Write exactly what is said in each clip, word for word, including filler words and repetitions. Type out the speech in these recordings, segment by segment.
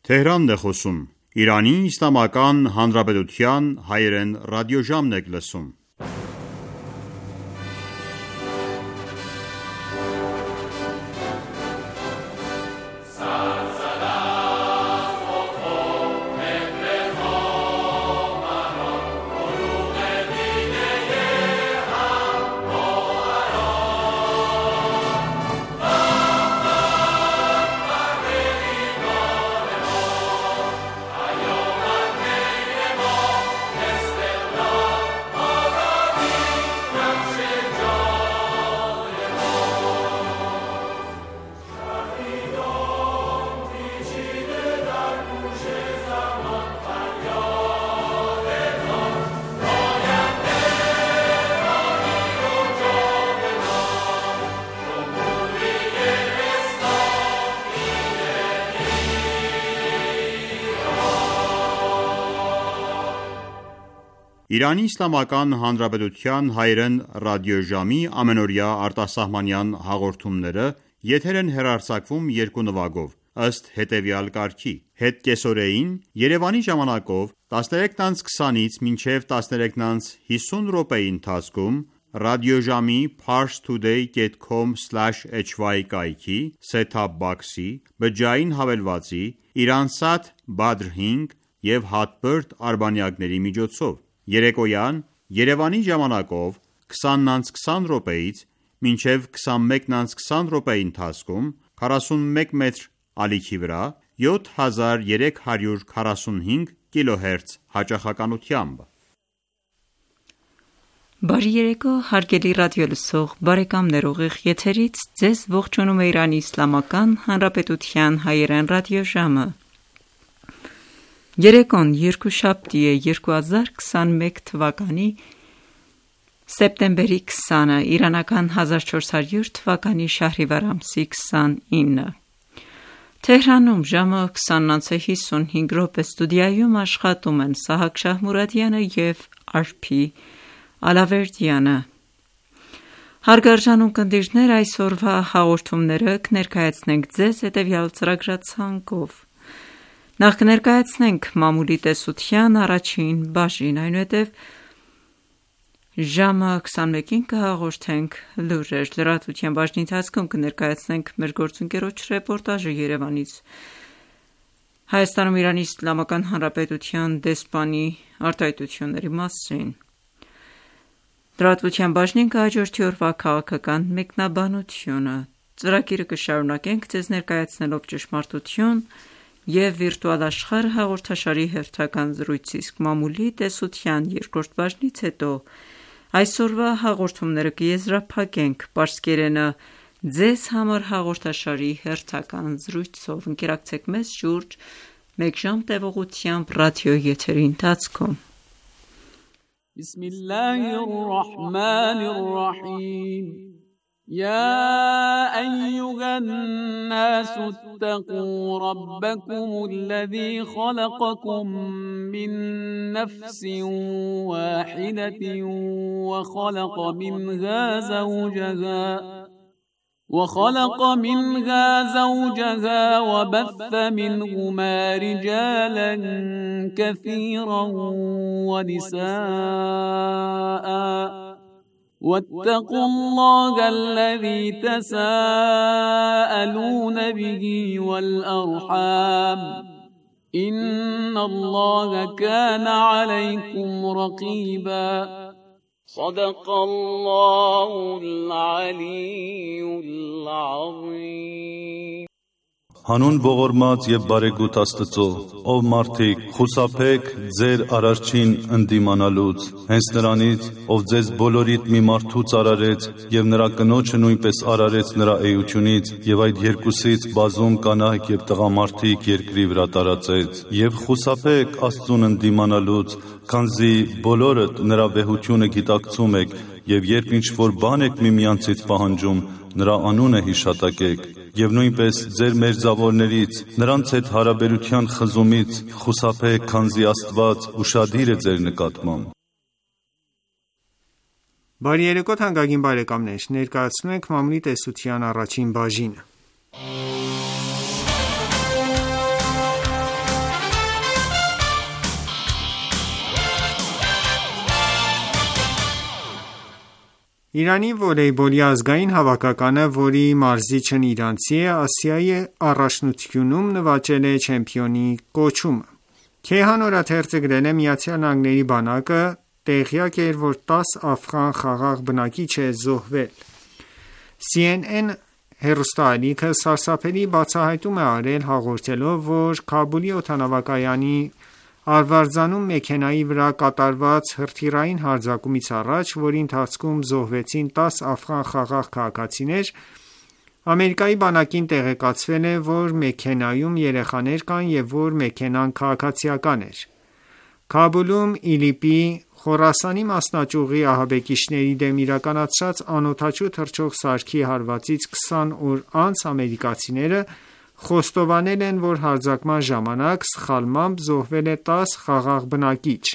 Թեհրանն է խոսում։ Իրանի Իսլամական Հանրապետության հայերեն ռադիոժամն եք լսում։ Իրանի Իսլամական Հանրապետության հայերեն ռադիոժամի ամենօրյա արտասահմանյան հաղորդումները եթեր են հեռարձակվում երկու նվագով, ըստ հետևյալ կարգի. Հետկեսօրեին Երևանի ժամանակով տասներեքն անց քսանից մինչև տասներեքն անց հիսուն րոպեի ընթացքում ռադիոժամի parstoday dot com slash h y կայքի set-top box-ի, բջջային հավելվածի, Iransat Badr հինգ և Hotbird արբանյակների միջոցով, երեկոյան Երևանի ժամանակով քսանն անց քսան րոպեից մինչև քսանմեկն անց քսան րոպեի ընթացքում քառասունմեկ մետր ալիքի վրա յոթ հազար երեք հարյուր քառասունհինգ կիլոհերց հաճախականությամբ։ Բարի երեկո հարգելի ռադիոլսող բարեկամներ, ուղիղ եթերից ձեզ ողջունում է Իրանի Իսլամական Հանրապետության հայերեն ռադիոժամը։ Երեկոն երկուշաբթի է երկու հազար քսանմեկ թվականի սեպտեմբերի քսանը, իրանական հազար չորս հարյուր թվականի շահրիվար ամսի քսանինը։ Թեհրանում ժամը քսանն անց հիսունհինգ րոպե, ստուդիայում աշխատում են Սահակ Շահմուրադյանը և Արփի Ալավերդյանը։ Հարգարժան ունկնդիրներ, այսօրվա հաղորդումները կներկայացնենք ձեզ հետևյալ ծրագրացանկով։ Նախ կներկայացնենք մամուլի տեսության առաջին բաժին, այնուհետև ժամը քսանմեկին կհաղորդենք լուրեր, լրատվության բաժնի ընթացքում կներկայացնենք մեր գործընկերոջ ռեպորտաժը Երևանից, Հայաստանում Իրանի Իսլամական Հանրապետության դեսպանի արտահայտությունների մասին։ Լրատվության բաժնին կհաջորդի օրվա քաղաքական մեկնաբանությունը։ Ծրագիրը կշարունակենք ձեզ ներկայացնելով ճշմարտություն և վիրտուալ աշխարհ հաղորդաշարի հերթական զրույցի, իսկ մամուլի տեսության երկրորդ բաժնից հետո այսօրվա հաղորդումները կեզրափակենք պարսկերենը ձեզ համար հաղորդաշարի հերթական զրույցով։ Ընկերակցեք մեզ շուրջ մեկ ժամ տևողությամբ ռադիո եթերի ընթացքում։ Բիսմիլլահիր ռահմանիր ռահիմ يا أيها الناس اتقوا ربكم الذي خلقكم من نفس واحدة وخلق منها زوجها وخلق منها زوجها وبث منهما رجالا كثيرا ونساء واتقوا الله الذي تساءلون به والأرحام إن الله كان عليكم رقيبا صدق الله العلي العظيم Հանուն ողորմած եւ բարեգութ Աստծո, ով մարդիկ, խուսափեք ձեր Արարչին ընդդիմանալուց, հենց նրանից, ով ձեզ բոլորիդ մի մարդուց արարեց եւ նրա կնոջը նույնպես արարեց նրա էությունից եւ այդ երկուսից բազում կանայք եւ տղամարդիկ երկրի վրա տարածեց, եւ խուսափեք Աստծուն ընդդիմանալուց, քանզի բոլորդ նրա վեհությունը գիտակցում եք եւ երբ ինչ որ բան եք միմյանցից պահանջում, նրա անունը հիշատակեք եւ նույնպես ձեր մերձավորներից նրանց հետ հարաբերության խզումից խուսափեք, քանզի Աստված ուշադիր է ձեր նկատմամբ։ Բարի երեկո թանկագին բարեկամներ, ներկայացնում ենք մամուլի տեսության առաջին բաժինը։ Իրանի վոլեյբոլի ազգային հավաքականը, որի մարզիչն իրանցի է, Ասիայի առաջնությունում նվաճել է չեմպիոնի կոչումը։ Քեհան օրաթերթը գրել է. «Միացյալ Նահանգների բանակը տեղյակ էր, որ տասը աֆղան խաղաղ բնակիչ է զոհվել»։ Սի Են Են հեռուստաալիքը սարսափելի բացահայտում է արել, հաղորդելով, որ Քաբուլի օդանավակայանի արվարձանում մեքենայի վրա կատարված հրթիռային հարձակումից առաջ, որի ընթացքում զոհվեցին տասը աֆղան խաղաղ քաղաքացիներ, Ամերիկայի բանակին տեղեկացվել է, որ մեքենայում երեխաներ կան և որ մեքենան քաղաքացիական էր։ Քաբուլում ԻԼԻՊ-ի Խորասանի մասնաճյուղի ահաբեկիչների դեմ իրականացրած անօդաչու թռչող սարքի հարվածից քսան օր անց ամերիկացիները խոստովանել են, որ հարձակման ժամանակ սխալմամբ զոհվել է տասը խաղաղ բնակիչ,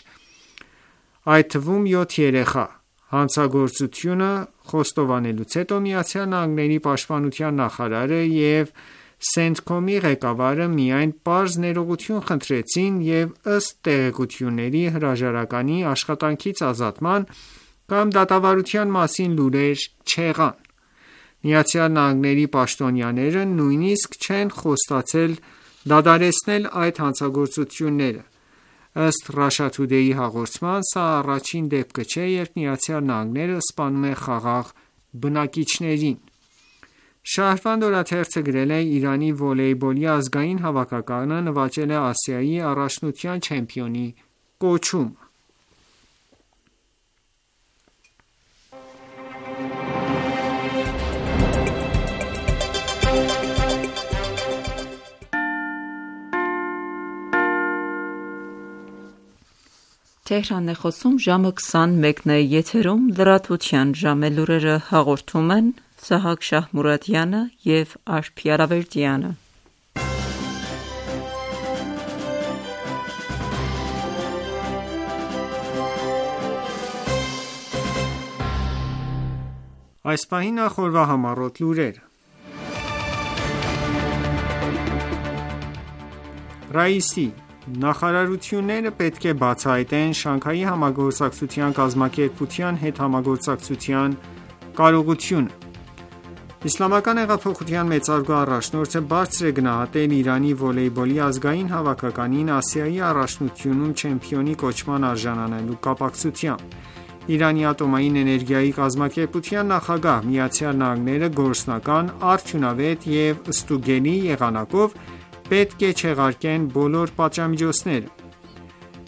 այդ թվում յոթ երեխա։ Հանցագործությունը խոստովանելուց հետո ԱՄՆ պաշտպանության նախարարը և Սենթկոմի ղեկավարը միայն պարզ ներողություն խնդրեցին և ըստ տեղեկությունների հրաժարականի աշխատանքից ազատման կամ դատավարության մասին լուրեր չեղան։ ԱՄՆ պաշտոնյաները նույնիսկ չեն խոստացել դադարեցնել այդ հանցագործությունները։ Ըստ Russia Today-ի հաղորդման, սա առաջին դեպքը չէ, երբ ԱՄՆ-ը սպանում է խաղաղ բնակիչներին։ Շահրվանդ օրաթերթը գրել է. «Իրանի վոլեյբոլի ազգային հավաքականը նվաճել է Ասիայի առաջնության չեմպիոնի կոչումը»։ Այս պահին նախորդ համառոտ լուրերը։ Ռաիսի. նախարարությունները պետք է բացահայտեն Շանհայի համագործակցության կազմակերպության հետ համագործակցության կարողությունը։ Իսլամական հեղափոխության մեծարգո առաջնորդը բարձր է գնահատել Իրանի վոլեյբոլի ազգային հավաքականին Ասիայի առաջնությունում չեմպիոնի կոչման արժանանալու կապակցությամբ։ Իրանի ատոմային էներգիայի կազմակերպության նախագահ ԱՄՆ-ը գործնական, արդյունավետ և ստուգելի եղանակով պետք է չեղարկեն բոլոր պատժամիջոցները։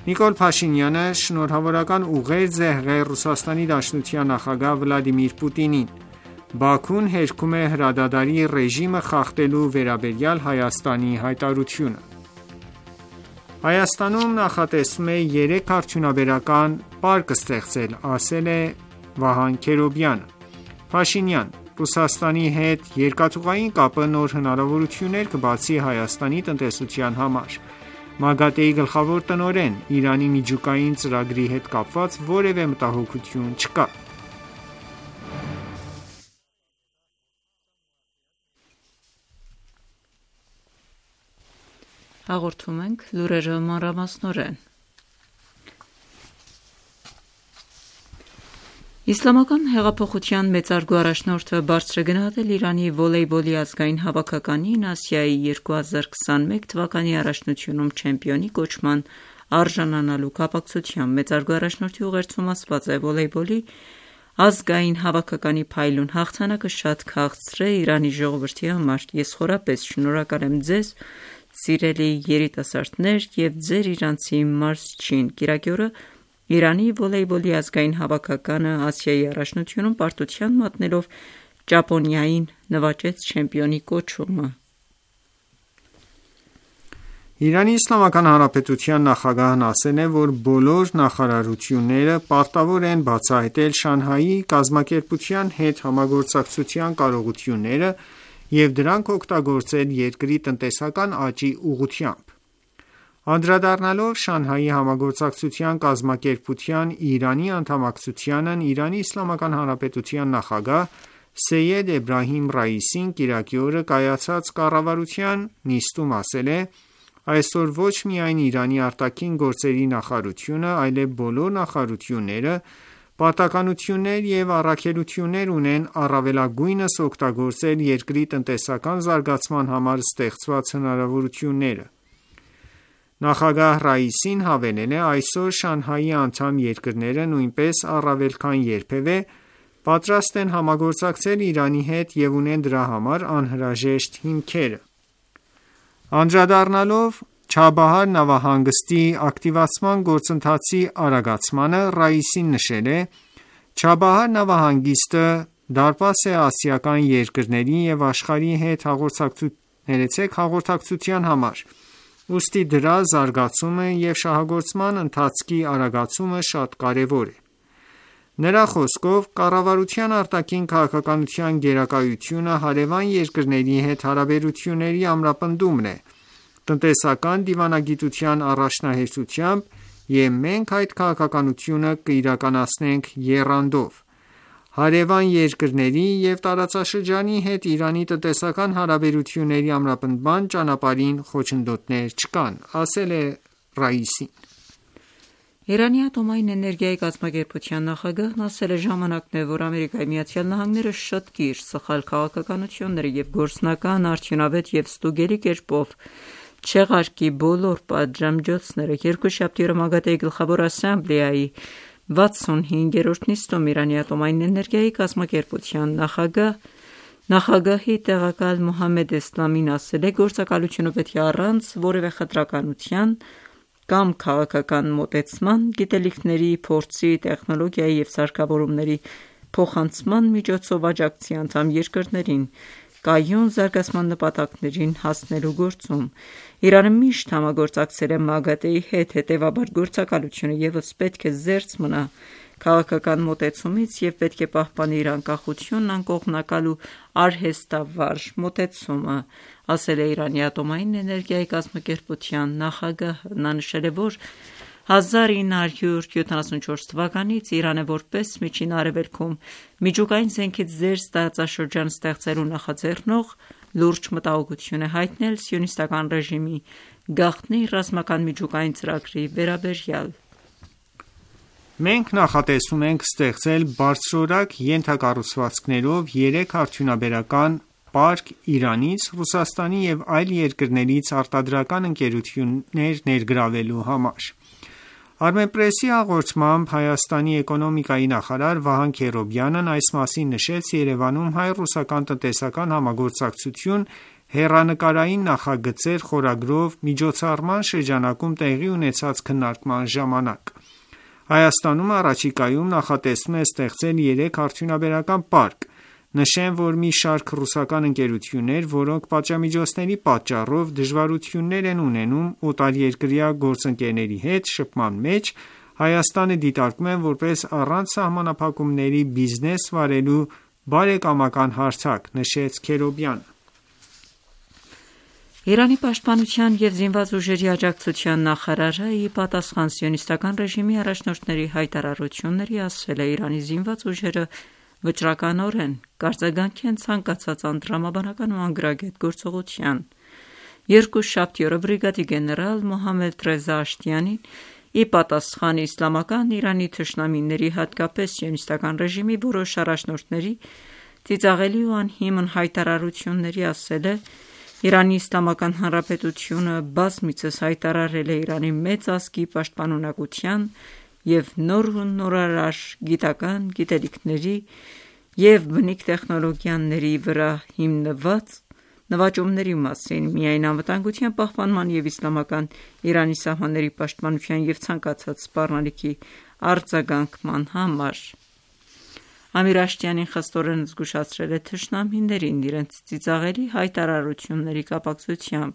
Նիկոլ Փաշինյանը շնորհավորական ուղերձ է հղել Ռուսաստանի Դաշնության նախագահ Վլադիմիր Պուտինին։ Բաքուն հերքում է հրադադարի ռեժիմը խախտելու վերաբերյալ Հայաստանի հայտարարությունը։ Հայաստանում նախատեսվում է երեք արդյունաբերական պարկ ստեղծել, ասել է Վահան Քերոբյանը։ Փաշինյան. Ռուսաստանի հետ երկաթուղային կապը նոր հնարավորություններ կբացի Հայաստանի տնտեսության համար։ ՄԱԳԱՏԷ-ի գլխավոր տնօրեն. Իրանի միջուկային ծրագրի հետ կապված որևէ մտահոգություն չկա։ Հաղորդում ենք լուրերը մանրամասնորեն։ Իսլամական հեղափոխության մեծարգո առաջնորդը բարձր է գնահատել Իրանի վոլեյբոլի ազգային հավաքականին Ասիայի երկու հազար քսանմեկ թվականի առաջնությունում չեմպիոնի կոչման արժանանալու կապակցությամբ։ Մեծարգո առաջնորդի ուղերձում ասված է. «Վոլեյբոլի ազգային հավաքականի փայլուն հաղթանակը շատ քաղցր է Իրանի ժողովրդի համար։ Ես խորապես շնորհակալ եմ ձեզ, սիրելի երիտասարդներ և ձեր իրանցի մարզչին»։ Կիրակի օրը Իրանի վոլեյբոլի ազգային հավաքականը Ասիայի առաջնությունում պարտության մատնելով Ճապոնիային նվաճեց չեմպիոնի կոչումը։ Իրանի Իսլամական Հանրապետության նախագահն ասել է, որ բոլոր նախարարությունները պարտավոր են բացահայտել Շանհայի կազմակերպության հետ համագործակցության կարողությունները և դրանք օգտագործել երկրի տնտեսական աճի ուղղությամբ։ Անդրադառնալով Շանհայի համագործակցության կազմակերպության Իրանի անդամակցությանն, Իրանի Իսլամական Հանրապետության նախագահ Սեյեդ Էբրահիմ Ռաիսին կիրակի օրը կայացած կառավարության նիստում ասել է. «Այսօր ոչ միայն Իրանի արտաքին գործերի նախարարությունը, այլև բոլոր նախարարությունները պարտականություններ և առաքելություններ ունեն առավելագույնս օգտագործել երկրի տնտեսական զարգացման համար ստեղծված հնարավորությունները: Նախագահ Ռայիսին հավելել է. «Այսօր Շանհայի անդամ երկրները նույնպես առավել քան երբևէ պատրաստ են համագործակցել Իրանի հետ և ունեն դրա համար անհրաժեշտ հիմքերը»: Անդրադառնալով Չաբահար նավահանգստի ակտիվացման գործընթացի արագացմանը, Ռայիսին նշել է. «Չաբահար նավահանգիստը դարպաս է ասիական երկրների և աշխարհի հետ հաղորդակցության համար, ուստի դրա զարգացումը և շահագործման ընթացքի արագացումը շատ կարևոր է»: Նրա խոսքով. «Կառավարության արտաքին քաղաքականության գերակայությունը հարևան երկրների հետ հարաբերությունների ամրապնդումն է, տնտեսական դիվանագիտության առաջնահերթությամբ և մենք այդ քաղաքականությունը կիրականացնենք եռանդով: Հարևան երկրների և տարածաշրջանի հետ Իրանի տնտեսական հարաբերությունների ամրապնդման ճանապարհին խոչընդոտներ չկան»: Իրանի ատոմային էներգիայի կազմակերպության նախագահն ասել է. «Ժամանակն է, որ ԱՄՆ-ը շտկի իր սխալ քաղաքականությունները և գործնական, արդյունավետ և ստուգելի կերպով չեղարկի բոլոր պատժամիջոցները»: Երկուշաբթի օրը ՄԱԳԱՏԷ-ի Գլխավոր ասամբլեայի վաթսունհինգերորդ նիստում Իրանի ատոմային էներգիայի կազմակերպության նախագահի տեղակալ Մոհամմեդ Էսլամին ասել է. «Գործակալությունը պետք է առանց որևէ խտրականության կամ քաղաքական մոտեցման, գիտելիքների, փորձի, տեխնոլոգիայի և սարքավորումների փոխանցման միջոցով աջակցի անդամ երկրներին կայուն զարգացման նպատակներին հասնելու գործում»: Իրանը միշտ համագործակցել է ՄԱԳԱՏԷ-ի հետ, հետևաբար գործակալությունը ևս պետք է զերծ մնա քաղաքական մոտեցումից և պետք է պահպանի իր անկախությունն, անկողմնակալ ու արհեստավարժ մոտեցումը, ասել է Իրանի ատոմային էներգիայի կազմակերպության նախագահը: Նա նշել է, որ հազար ինը հարյուր յոթանասունչորս թվականից Իրանը որպես Միջին Արևելքում միջուկային զենքից զերծ տարածաշրջան ստեղծելու նախաձեռնող լուրջ մտահոգություն է հայտնել Սիոնիստական ռեժիմի գաղտնի ռազմական միջուկային ծրագրի վերաբերյալ: «Մենք նախատեսում ենք ստեղծել բարձրորակ ենթակառուցվածքներով երեք արդյունաբերական պարկ Իրանից, Ռուսաստանի և այլ երկրներից արտադրական ընկերություններ ներգրավելու համար»: Armenpress-ի հաղորդմամբ Հայաստանի էկոնոմիկայի նախարար Վահան Քերոբյանն այս մասին նշեց Երևանում հայ-ռուսական տնտեսական համագործակցություն հեռանկարային նախագծեր խորագրով միջոցառման շրջանակում տեղի ունեցած քննարկման ժամանակ: Հայաստանում առաջիկայում նախատեսվում է ստեղծել երեք արդյունաբերական պարկ: Նշեմ, որ մի շարք ռուսական ընկերություններ, որոնք պատժամիջոցների պատճառով դժվարություններ են ունենում օտարերկրյա գործընկերների հետ շփման մեջ, Հայաստանը դիտարկում են որպես առանց սահմանափակումների բիզնես վարելու բարեկամական հարթակ, նշեց Քերոբյանը: Իրանի պաշտպանության և զինված ուժերի աջակցության նախարարը, ի պատասխան Սիոնիստական ռեժիմի առաջնորդների հայտարարությունների, ասել է. «Իրանի զինված ուժերը վճռականորեն կարձագանքեն ցանկացած անտրամաբանական ու անգրագետ գործողության»: Երկուշաբթի օրը բրիգադի գեներալ Մոհամմեդ Ռեզա Աշտիանին, ի պատասխան Իսլամական Իրանի թշնամիների, հատկապես Սիոնիստական ռեժիմի որոշ առաջնորդների ծիծաղելի ու անհիմն հայտարարությունների, ասել է. «Իրանի Իսլամական Հանրապետությունը բազմիցս հայտարարել է Իրանի մեծ ազգի պաշտպանունակության և նոր ու նորարար գիտական գիտելիքների և բնիկ տեխնոլոգիաների վրա հիմնված նվաճումների մասին, միայն անվտանգության պահպանման և Իսլամական Իրանի սահմանների պաշտպանության և ցանկացած սպառնալիքի արձագանքման համար»: Ամիր Աշտիանին խստորեն զգուշացրել է թշնամիներին իրենց ծիծաղելի հայտարարությունների կապակցությամբ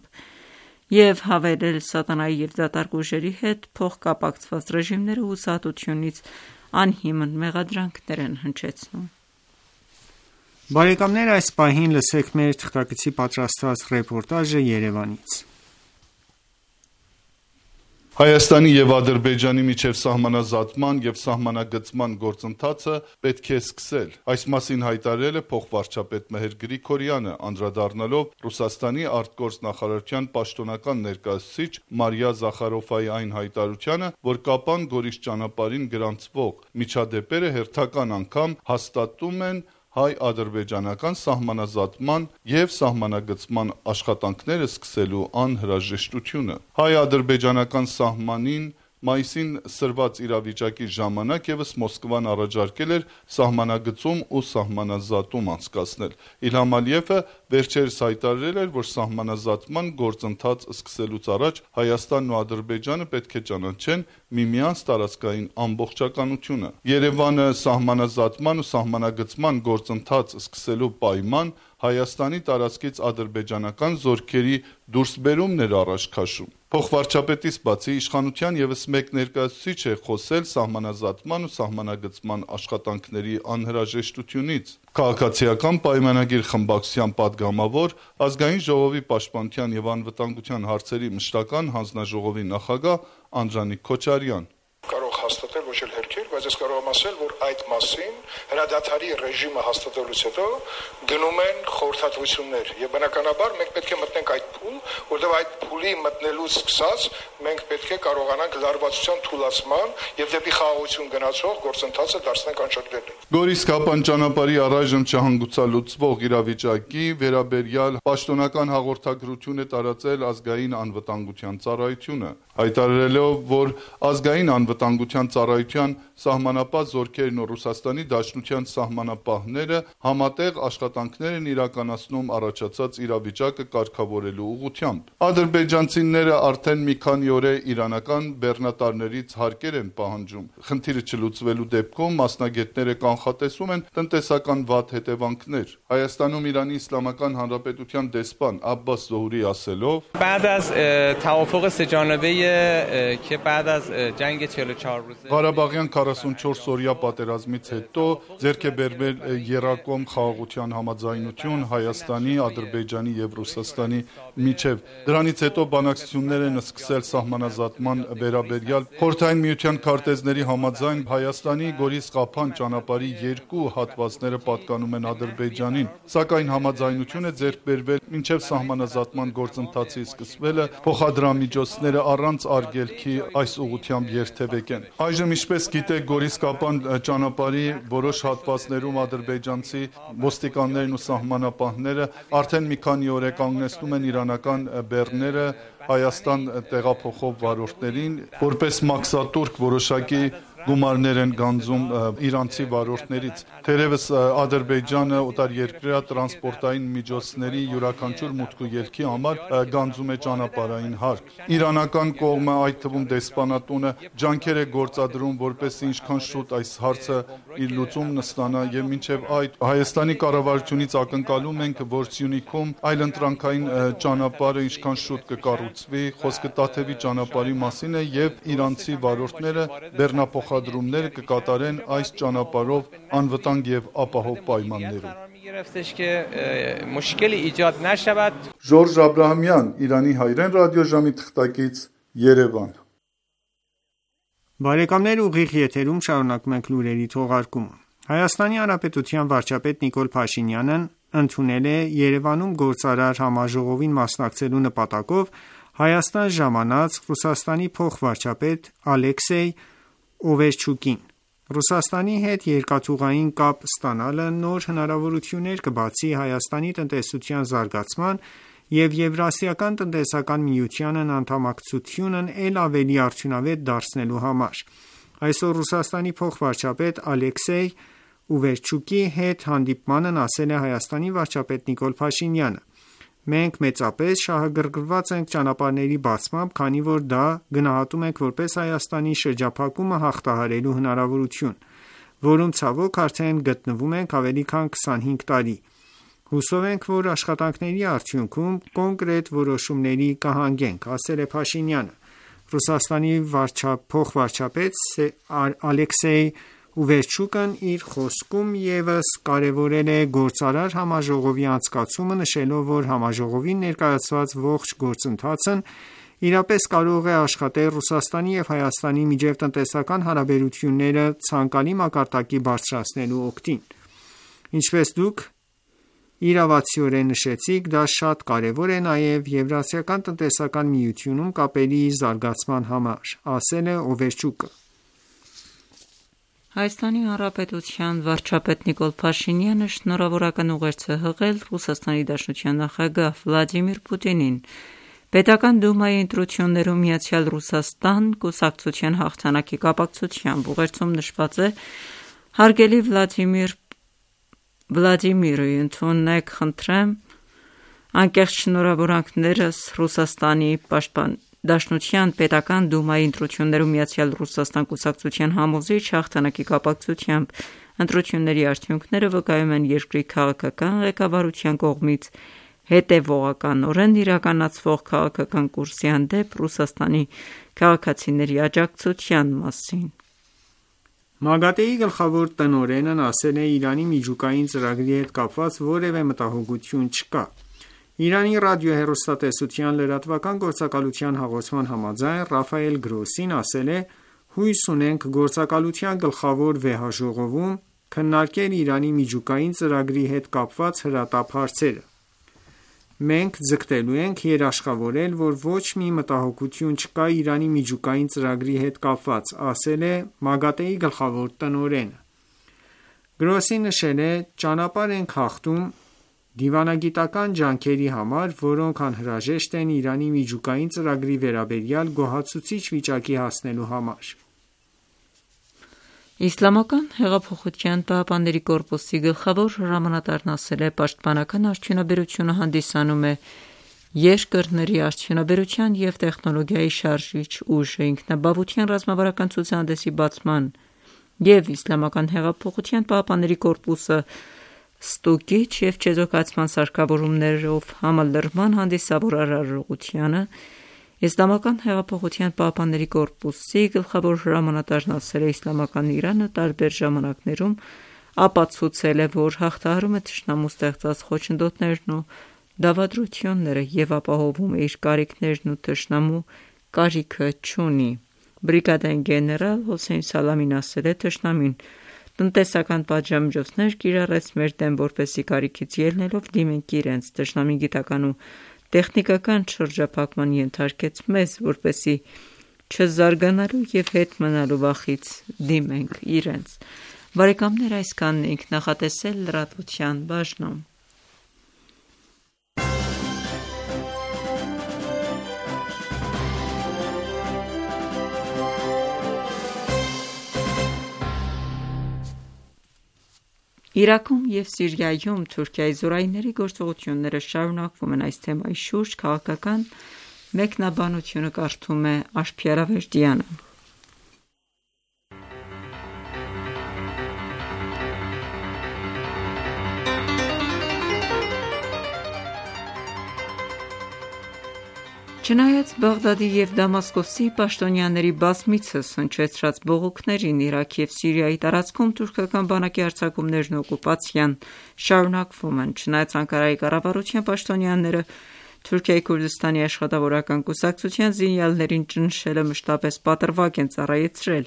և հավելել. «Սատանայի և դատարկ ուժերի հետ փոխկապակցված ռեժիմները հուսահատությունից անհիմն մեղադրանքներ են հնչեցնում»: Բարեկամներ այս պահին լսեք մեր թղթակցի պատրաստած ռեպորտաժը Երևանից: Հայաստանի եւ Ադրբեջանի միջև սահմանազատման եւ սահմանագծման գործընթացը պետք է սկսել։ Այս մասին հայտարարել է փոխվարչապետ Մեհեր Գրիգորյանը, անդրադառնալով Ռուսաստանի արտգործնախարարության պաշտոնական ներկայացուցիչ Մարիա Զախարովայի այն հայտարարությանը, որ Կապան Գորիս ճանապարհին գրանցվող միջադեպերը հերթական անգամ հաստատում են հայ-ադրբեջանական սահմանազատման եւ սահմանագծման աշխատանքները սկսելու անհրաժեշտությունը։ Հայ-ադրբեջանական սահմանին մայիսին սրված իրավիճակի ժամանակ եւս Մոսկվան առաջարկել էր սահմանագծում ու սահմանազատում անցկացնել։ Իլհամ Ալիևը վերջերս հայտարարել էր, որ սահմանազատման գործընթաց սկսելուց առաջ Հայաստանն ու Ադրբեջանը պետք է ճանաչեն միմյանց տարածքային ամբողջականությունը։ Երևանը սահմանազատման ու սահմանագծման գործընթաց սկսելու պայման Հայաստանի տարածքից ադրբեջանական զորքերի դուրսբերումն էր առաջ քաշում։ Փոխվարչապետից բացի իշխանության եւս մեկ ներկայացուցիչ է խոսել սահմանազատման ու սահմանագծման աշխատանքների անհրաժեշտությունից։ Քաղաքացիական պայմանագիր խմբակցության падգամավոր, ազգային ժողովի պաշտպանության եւ անվտանգության հարցերի մշտական հանձնաժողովի նախագահ Անդրանիկ Քոչարյան։ Կարող հաստատել ոչ էլ հերքել, բայց ես կարող եմ ասել, որ այդ մասին հրադադարի ռեժիմը հաստատելուց հետո գնում են խորհրդատվություններ եւ բնականաբար մենք պետք է մտնենք այդ փուլ, որտեղ այդ փուլի մտնելուց սկսած մենք պետք է կարողանանք լարվածության թուլացման եւ դեպի խաղաղություն գնացող գործընթացը դարձնենք անշրջելի։ Գորիս-Կապան ճանապարհի առայժմ չհանգուցալուծվող իրավիճակի վերաբերյալ պաշտոնական հաղորդագրություն է տարածել ազգային անվտանգության ծառայությունը, հայտարարելով, որ ազգային անվտանգության ծառայության սահմանապահ զորքերն ու Ռուսաստանի Դաշնության սահմանապահները համատեղ աշխատանքներ են իրականացնում առաջացած իրավիճակը կարգավորելու ուղղությամբ։ Ադրբեջանցիները արդեն մի քանի օր է իրանական բեռնատարներից հարկեր են պահանջում։ Խնդիրը չլուծվելու դեպքում մասնագետները կանխատեսում են տնտեսական վատ հետևանքներ։ Հայաստանում Իրանի Իսլամական Հանրապետության դեսպան Աբբաս Զոհուրի ասելով. بعد از توافق سه جانبه که بعد از جنگ چهل و چهار روزه Ղարաբաղյան քառասունչորս օրյա պատերազմից հետո ձեռք է բերվել երակոմ խաղաղության համաձայնություն Հայաստանի, Ադրբեջանի եւ Ռուսաստանի միջև։ Դրանից հետո բանակցություններ են սկսել սահմանազատման վերաբերյալ Խորհրդային Միության քարտեզների համաձայն Հայաստանի Գորիս-Ղափան ճանապարհի երկու հատվածները պատկանում են Ադրբեջանին, սակայն համաձայնություն է ձեռք բերվել մինչև սահմանազատման գործընթացի սկսվելը փոխադրամիջոցները առանց արգելքի այս ուղղությամբ երթևեկեն։ Այժմ ինչպես գիտեք, Գորիս-Կապան ճանապարհի որոշ հատվածներում ադրբեջանցի ոստիկաններն ու սահմանապահները արդեն մի քանի օր է կանգնեցնում են իրանական բեռները Հայաստան տեղափոխող վարորդներին, որպես մաքսատուրք որոշակի գումարներ են գանձում իրանցի վարորդներից։ Թերևս Ադրբեջանը օտարերկրյա տրանսպորտային միջոցների յուրաքանչյուր մուտք ու ելքի համար գանձում է ճանապարհային հարկ։ Իրանական կողմը, այդ թվում դեսպանատունը, ջանքեր է գործադրում, որպեսզի ինչքան շուտ այս հարցը իր լուծումն ստանա եւ մինչեւ այդ Հայաստանի կառավարությունից ակնկալում ենք, որ Սյունիքում այլընտրանքային ճանապարհը ինչքան շուտ կկառուցվի, խոսքը Տաթևի ճանապարհի մասին է եւ իրանցի վարորդները բեռնափոխադրումներ կկատարեն այս ճանապարհով անվտանգ եւ ապահով պայմաններում։ Ժորժ Աբրահամյան, Իրանի հայրեն ռադիոժամի թղթակից, Երևան։ Բարեկամներ, ուղիղ եթերում շարունակում ենք լուրերի թողարկումը։ Հայաստանի Հանրապետության վարչապետ Նիկոլ Փաշինյանն ընդունել է Երևանում գործարար համաժողովին մասնակցելու նպատակով Հայաստան ժամանած Ռուսաստանի փոխվարչապետ Ալեքսեյ Օվերչուկին։ Ռուսաստանի հետ երկաթուղային կապ ստանալը նոր հնարավորություններ կբացի Հայաստանի տնտեսության զարգացման և Եվրասիական տնտեսական միությանն անդամակցությունն էլ ավելի արդյունավետ դարձնելու համար։ Այսօր Ռուսաստանի փոխվարչապետ Ալեքսեյ Օվերչուկի հետ հանդիպմանն ասել է Հայաստանի վարչապետ Նիկոլ Փաշինյանը. Մենք մեծապես շահագրգռված ենք ճանապարհների բացմամբ, քանի որ դա գնահատում ենք որպես Հայաստանի շրջափակումը հաղթահարելու հնարավորություն, որում ցավոք արդեն գտնվում ենք ավելի քան քսանհինգ տարի։ Հուսով ենք, որ աշխատանքների արդյունքում կոնկրետ որոշումների կհանգենք, ասել է Փաշինյանը։ Ռուսաստանի փոխվարչապետ Ալեքսեյ Օվերչուկն իր խոսքում ևս կարևորել է գործարար համաժողովի անցկացումը, նշելով, որ համաժողովին ներկայացված ողջ գործընթացն իրապես կարող է աշխատել Ռուսաստանի և Հայաստանի միջև տնտեսական հարաբերությունները ցանկալի մակարդակի բարձրացնելու օգտին: Ինչպես դուք իրավացիորեն նշեցիք, դա շատ կարևոր է նաև Եվրասիական տնտեսական միությունում կապերի զարգացման համար, ասել է Օվերչուկը: Հայաստանի Հանրապետության վարչապետ Նիկոլ Փաշինյանը շնորհավորական ուղերձ է հղել ՌԴ նախագահ Վլադիմիր Պուտինին Պետական դումայի ընտրություններում Միացյալ Ռուսաստան կուսակցության հաղթանակի կապակցությամբ: Ուղերձում նշված է. «Հարգելի Վլադիմիր, ընդունեք խնդրեմ անկեղծ շնորհավորանքներս Ռուսաստանի Դաշնության Պետական դումայի ընտրություններում Միացյալ Ռուսաստան կուսակցության համոզիչ հաղթանակի կապակցությամբ: Ընտրությունների արդյունքները վկայում են երկրի քաղաքական ղեկավարության կողմից հետևողականորեն իրականացվող քաղաքական կուրսի հանդեպ Ռուսաստանի քաղաքացիների աջակցության մասին»: ՄԱԳԱՏԷ-ի գլխավոր տնօրենն ասել է. «Իրանի միջուկային ծրագրի հետ կապված որևէ մտահոգություն չկա»: Իրանի ռադիոհեռուստատեսության լրատվական գործակալության հաղորդման համաձայն Ռաֆայել Գրոսին ասել է. «Հույս ունենք գործակալության գլխավոր վեհաժողովում քննարկել Իրանի միջուկային ծրագրի հետ կապված հրատապ հարցերը: Մենք ձգտելու ենք երաշխավորել, որ ոչ մի մտահոգություն չկա Իրանի միջուկային ծրագրի հետ կապված», ասել է ՄԱԳԱՏԷ-ի գլխավոր տնօրենը: Գրոսին նշել է. «Ճանապարհ ենք հաղթում դիվանագիտական ջանքերի համար, որոնք անհրաժեշտ են Իրանի միջուկային ծրագրի վերաբերյալ գոհացուցիչ վիճակի հասնելու համար»: Իսլամական հեղափոխության պահապանների կորպուսի գլխավոր հրամանատարն ասել է. «Պաշտպանական արդյունաբերությունը հանդիսանում է երկրների արդյունաբերության և տեխնոլոգիայի շարժիչ ուժը: Ինքնաբավության ռազմավարական ցուցահանդեսի բացման և Իսլամական հեղափոխության պահապանների կորպուսի ստուգիչ և չեզոքացման սարքավորումներով համալրման հանդիսավոր արարողությանը Իսլամական հեղափոխության պահապանների կորպուսի գլխավոր հրամանատարն ասել է. «Իսլամական Իրանը տարբեր ժամանակներում ապացուցել է, որ հաղթահարում է թշնամու ստեղծած խոչընդոտներն ու դավադրությունները և ապահովում է իր կարիքներն ու թշնամու կարիքը չունի»: Բրիգադիա գեներալ Հոսեյն Սալամին ասել է. «Թշնամին տնտեսական պատժամիջոցներ կիրառեց մեր դեմ, որպեսզի կարիքից ելնելով դիմենք իրենց: Թշնամին գիտական ու տեխնիկական շրջափակման ենթարկեց մեզ, որպեսզի չզարգանալու և հետ մնալու վախից դիմենք իրենց»: Այսքանն էինք նախատեսել լրատվության բաժնում: Իրաքում և Սիրիայում Թուրքիայի զորայինների գործողությունները շարունակվում են: Այս թեմայի շուրջ քաղաքական մեկնաբանությունը կարդում է Աշխարհ Ավերդյանը: Չնայած Բաղդադի և Դամասկոսի պաշտոնյաների բազմիցս հնչեցրած բողոքներին, Իրաքի և Սիրիայի տարածքում թուրքական բանակի հարձակումներն ու օկուպացիան շարունակվում են: Չնայած Անկարայի կառավարության պաշտոնյաները Թուրքիայի Քուրդիստանի աշխատավորական կուսակցության զինյալներին ճնշելը մշտապես պատրվակ են ծառայեցրել: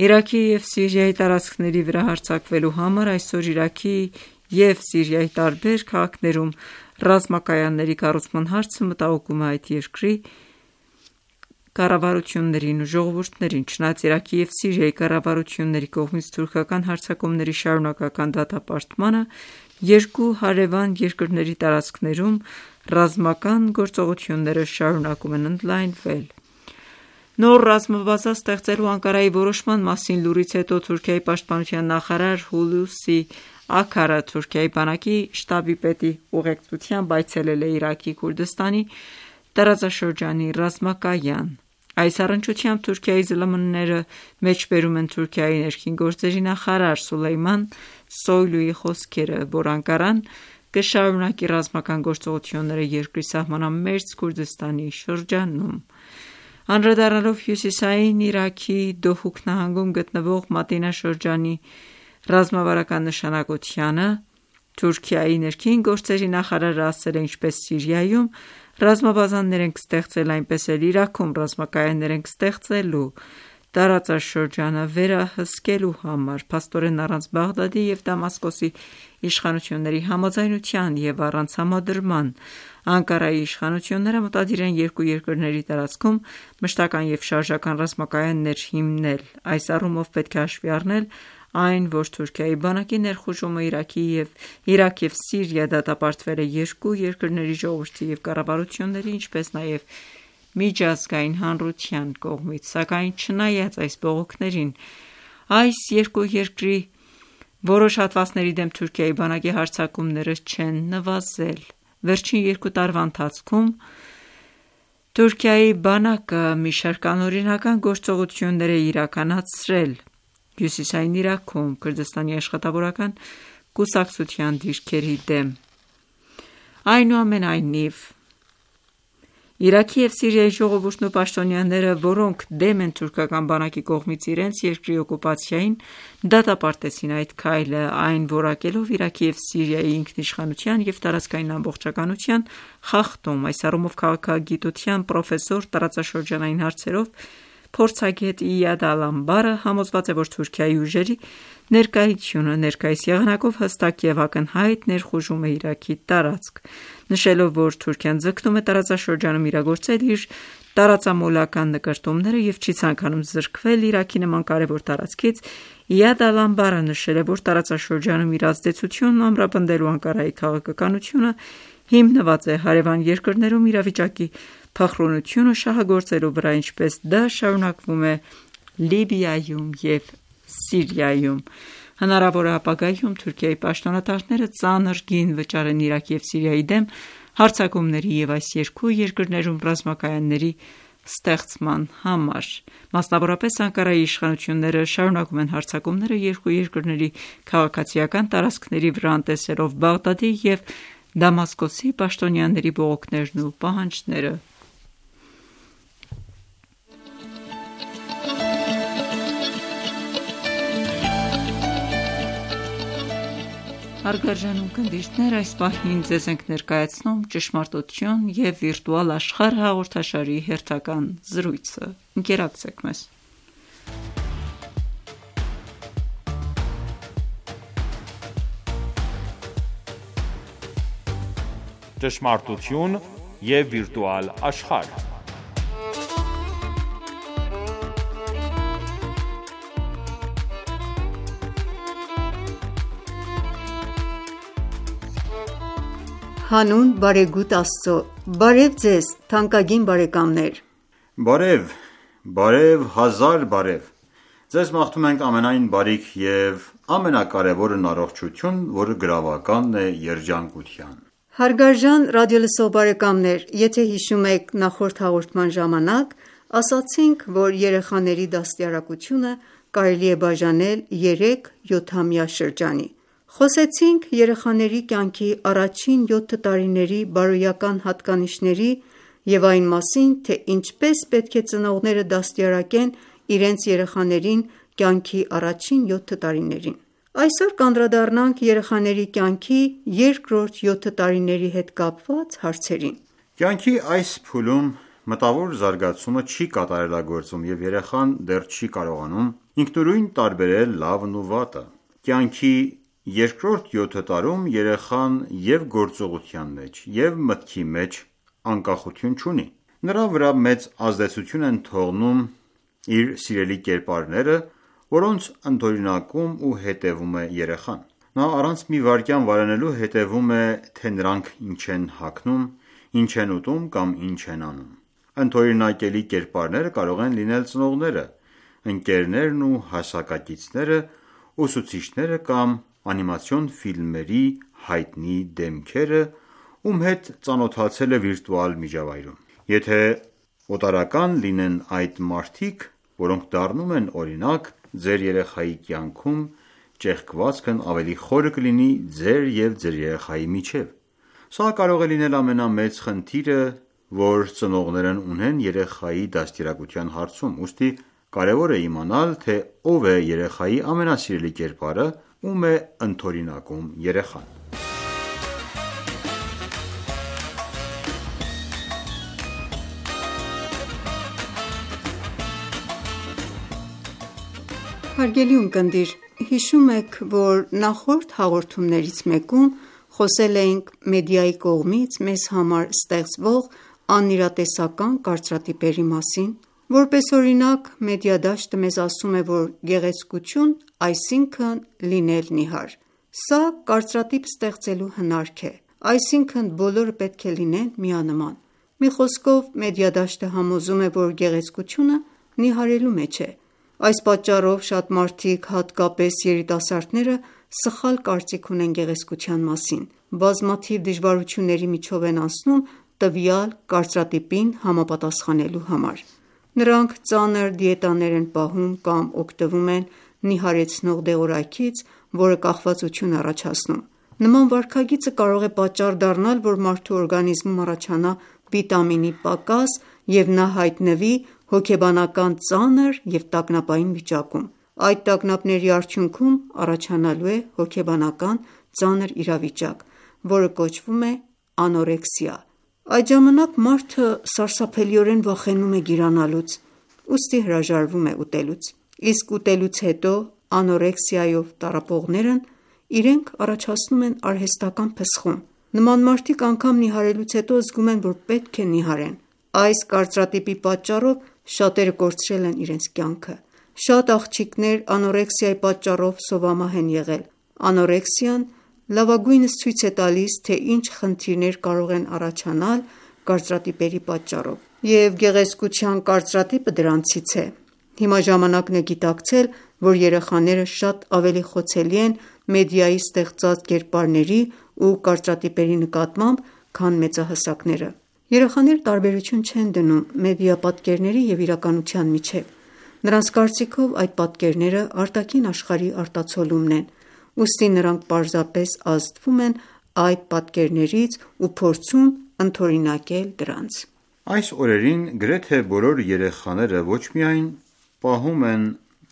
Իրաքի և Սիրիայի տարածքների վրա հարձակվելու համար այսօր Իրաքի և Սիրիայի տարբեր քաղաքներում ռազմակայանների կառուցման հարցը մտահոգում է այդ երկրի կառավարություններին ու ժողովուրդներին: Չնայած Իրաքի և Սիրիայի կառավարությունների կողմից թուրքական հարձակումների շարունակական դատապարտմանը, երկու հարևան երկրների տարածքներում ռազմական գործողությունները շարունակում են ընդլայնվել: Նոր ռազմաբազա ստեղծելու Անկարայի որոշման մասին լուրից հետո Թուրքիայի պաշտպանության նախարար Հուլուսի Աքարը Թուրքիայի բանակի շտաբի պետի ուղեկցությամբ այցելել է Իրաքի Քուրդիստանի տարածաշրջանի ռազմակայան: Այս առնչությամբ Թուրքիայի ԶԼՄ-ները մեջբերում են Թուրքիայի ներքին գործերի նախարար Սուլեյման Սոյլուի խոսքերը, որ Անկարան կշարունակի ռազմական գործողությունները երկրի սահմանամերձ Քուրդիստանի շրջանում: Անդրադառնալով հյուսիսային Իրաքի Դոհուկ նահանգում գտնվող Մատինա շրջանի ռազմավարական նշանակությանը, Թուրքիայի ներքին գործերի նախարարը ասել է. «Ինչպես Սիրիայում Ռազմաբազաներ ենք ստեղծել, այնպես էլ Իրաքում ռազմակայաններ ենք ստեղծելու տարածաշրջանը վերահսկելու համար, փաստորեն առանց Բաղդադի և Դամասկոսի իշխանությունների համաձայնության և առանց համադրման։ Անկարայի իշխանությունները մտադիր են երկու երկրների տարածքում մշտական և շարժական ռազմակայաններ հիմնել։ Այս առումով պետք է հաշվի առնել այն, որ Թուրքիայի բանակի ներխուժումը Իրաքի և Իրաք և Սիրիա դատապարտվել է երկու երկրների ժողովրդի և կառավարությունների, ինչպես նաև միջազգային հանրության կողմից, սակայն չնայած այս բողոքներին, այս երկու երկրի որոշ հատվածների դեմ Թուրքիայի բանակի հարձակումները չեն նվազել։ Վերջին երկու տարվա ընթացքում Թուրքիայի բանակը մի շարք անօրինական գործողություններ է իրականացրել Հյուսիսային Իրաքում Քրդստանի աշխատավորական կուսակցության դիրքերի դեմ։ Այնուամենայնիվ, Իրաքի և Սիրիայի ժողովուրդն ու պաշտոնյաները, որոնք դեմ են թուրքական բանակի կողմից իրենց երկրի օկուպացիային, դատապարտեցին այդ քայլը, այն որակելով Իրաքի և Սիրիայի ինքնիշխանության և տարածքային ամբողջականության խախտում։ Այս առումով քաղաքագիտության պրոֆեսոր, տարածաշրջանային հարցերով փորձագետ Իադ Ալ-Անբարը համոզված է, որ Թուրքիայի ուժերի ներկայությունը ներկայիս եղանակով հստակ և ակնհայտ ներխուժում է Իրաքի տարածք, նշելով, որ Թուրքիան ձգտում է տարածաշրջանում իրագործել իր տարածամոլական նկրտումները և չի ցանկանում զրկվել Իրաքի նման կարևոր տարածքից, Իադ Ալ-Անբարը նշել է, որ տարածաշրջանում իր ազդեցությունն ամրապնդելու Անկարայի քաղաքականությունը հիմնված է հարևան երկրներում իրավիճակի փխրունությունը շահագործելու վրա, ինչպես դա շարունակվում է Լիբիայում և Սիրիայում։ Հնարավոր է ապագայում Թուրքիայի պաշտոնատարները ծանր գին վճարեն Իրաքի և Սիրիայի դեմ հարձակումների և այս երկու երկրներում ռազմակայանների ստեղծման համար։ Մասնավորապես, Անկարայի իշխանությունները շարունակում են հարձակումները երկու երկրների քաղաքացիական տարածքների վրա, անտեսելով Բաղդադի և Դամասկոսի պաշտոնյաների բողոքներն ու պահանջները։ Հարգարժան ունկնդիրներ, այս պահին ձեզ ենք ներկայացնում «Ճշմարտություն և վիրտուալ աշխարհ» հաղորդաշարի հերթական զրույցը։ Ընկերակցեք մեզ։ Ճշմարտություն և վիրտուալ աշխարհ։ Հանուն բարեգութ Աստծո, բարև ձեզ թանկագին բարեկամներ։ Բարև, բարև, հազար բարև։ Ձեզ մաղթում ենք ամենայն բարիք և ամենակարևորն առողջություն, որը գրավականն է երջանկության։ Հարգարժան ռադիոլսող բարեկամներ, եթե հիշում եք, նախորդ հաղորդման ժամանակ ասացինք, որ երեխաների դաստիարակությունը կարելի է բաժանել երեք յոթամյա շրջանի։ Խոսեցինք երեխաների կյանքի առաջին յոթ տարիների բարոյական հատկանիշների և այն մասին, թե ինչպես պետք է ծնողները դաստիարակեն իրենց երեխաներին կյանքի առաջին յոթ տարիներին։ Այսօր կանդրադառնանք երեխաների կյանքի երկրորդ յոթ տարիների հետ կապված հարցերին։ Կյանքի այս փուլում մտավոր զարգացումը չի կատարելագործվում և երեխան դեռ չի կարողանում ինքնուրույն տարբերել լավն ու վատը։ Կյանքի երկրորդ յոթ տարում երեխան և գործողության մեջ, և մտքի մեջ անկախություն չունի։ Նրա վրա մեծ ազդեցություն են թողնում իր սիրելի կերպարները, որոնց ընդօրինակում ու հետևում է երեխան։ Նա առանց մի վայրկյան վարենալու հետևում է, թե նրանք ինչ են հագնում, ինչ են ուտում կամ ինչ են անում։ Ընդօրինակելի կերպարները կարող են լինել ծնողները, ընկերներն ու հասակակիցները, ուսուցիչները կամ անիմացիոն ֆիլմերի հայտնի դեմքերը, ում հետ ծանոթացել է վիրտուալ միջավայրում։ Եթե օտարական լինեն այդ մարդիկ, որոնք դառնում են օրինակ, ձեր երեխայի կյանքում ճեղքվածքն ավելի խորը կլինի ձեր և ձեր երեխայի միջև։ Սա կարող է լինել ամենամեծ խնդիրը, որ ծնողներն ունեն երեխայի դաստիարակության հարցում, ուստի կարևոր է իմանալ, թե ով է երեխայի ամենասիրելի կերպարը, ում է ընդօրինակում երեխան։ Հարգելի ունկնդիր, հիշում եք, որ նախորդ հաղորդումներից մեկում խոսել էինք մեդիայի կողմից մեզ համար ստեղծվող անիրատեսական կարծրատիպերի մասին։ Որպես օրինակ, մեդիադաշտը մեզ ասում է, որ գեղեցկություն այսինքն լինել նիհար։ Սա կարծրատիպ ստեղծելու հնարք է, այսինքն բոլորը պետք է լինեն միանման։ Մի խոսքով, մեդիադաշտը համոզում է, որ գեղեցկությունը նիհարելու մեջ է։ Այս պատճառով շատ մարդիկ, հատկապես երիտասարդները, սխալ կարծիք ունեն գեղեցկության մասին, բազմաթիվ դժվարությունների միջով են անցնում տվյալ կարծրատիպին համապատասխանելու համար։ Նրանք ծանր դիետաներ են պահում կամ օգտվում են նիհարեցնող դեղորայքից, որը կախվածություն է առաջացնում։ Նման վարքագիծը կարող է պատճառ դառնալ, որ մարդու օրգանիզմում առաջանա վիտամինի պակաս և նա հայտնվի հոգեբանական ծանր և տագնապային վիճակում։ Այդ տագնապների արդյունքում առաջանալու է հոգեբանական ծանր իրավիճակ, որը կոչվում է անորեքսիա։ Այդ ժամանակ մարդը սարսափելիորեն վախենում է գիրանալուց, ուստի հրաժարվում է ուտելուց, իսկ ուտելուց հետո անորեքսիայով տառապողներն իրենք առաջացնում են արհեստական փսխում։ Նման մարդիկ անգամ նիհարելուց հետո զգում են, որ պետք է նիհարեն։ Այս կարծրատիպի պատճառով շատերը կորցրել են իրենց կյանքը։ Շատ աղջիկներ անորեքսիայի պատճառով սովամահ են եղել։ Անորեքսիան լավագույնս ցույց է տալիս, թե ինչ խնդիրներ կարող են առաջանալ կարծրատիպերի պատճառով, և գեղեցկության կարծրատիպը դրանցից է։ Հիմա ժամանակն է գիտակցել, որ երեխաները շատ ավելի խոցելի են մեդիայի ստեղծած կերպարների ու կարծրատիպերի նկատմամբ, քան մեծահասակները։ Երեխաները տարբերություն չեն դնում մեդիա պատկերների և իրականության միջև։ Նրանց կարծիքով այդ պատկերները արտաքին աշխարհի արտացոլումն են, ուստի նրանք պարզապես ազդվում են այդ պատկերներից ու փորձում ընդօրինակել դրանց։ Այս օրերին գրեթե բոլոր երեխաները ոչ միայն պահում են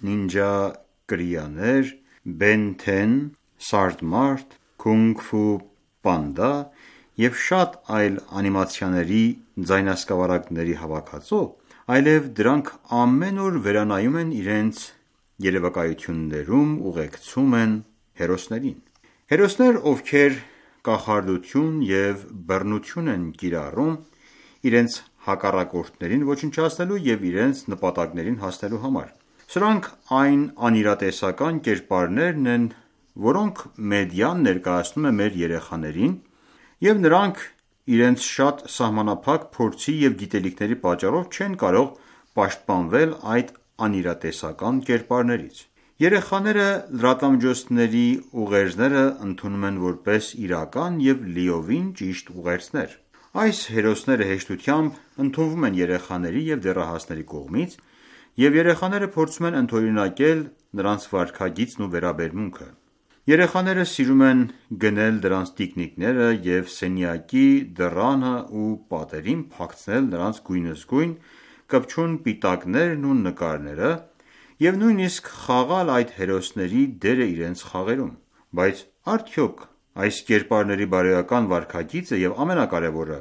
նինջա կրիաներ, Բեն թեն, Սարդմարտ, Քունգ Ֆու Պանդա և շատ այլ անիմացիաների ձայնասկավառակների հավաքածու, այլև դրանք ամեն օր վերանայում են իրենց երևակայություններում ուղեկցում են հերոսներին։ Հերոսներ, ովքեր կախարդություն և բռնություն են կիրառում իրենց հակառակորդներին ոչնչացնելու և իրենց նպատակներին հասնելու համար։ Սրանք այն անիրատեսական կերպարներն են, որոնք մեդիան ներկայացնում է մեր երեխաներին, և նրանք իրենց շատ սահմանափակ փորձի և գիտելիքների պատճառով չեն կարող պաշտպանվել այդ անիրատեսական կերպարներից։ Երեխաները լրատվամիջոցների ուղերձները ընդունում են որպես իրական և լիովին ճիշտ ուղերձներ։ Այս հերոսները հեշտությամբ ընդունվում են երեխաների և դեռահասների կողմից, և երեխաները փորձում են ընդօրինակել նրանց վարքագիծն ու վերաբերմունքը։ Երեխաները սիրում են գնել դրանց տիկնիկները և սենյակի դռանը ու պատերին փակցնել նրանց գույնզգույն կպչուն պիտակներն ու նկարները և նույնիսկ խաղալ այդ հերոսների դերը իրենց խաղերում։ Բայց արդյոք այս կերպարների բարոյական վարքագիծը և ամենակարևորը՝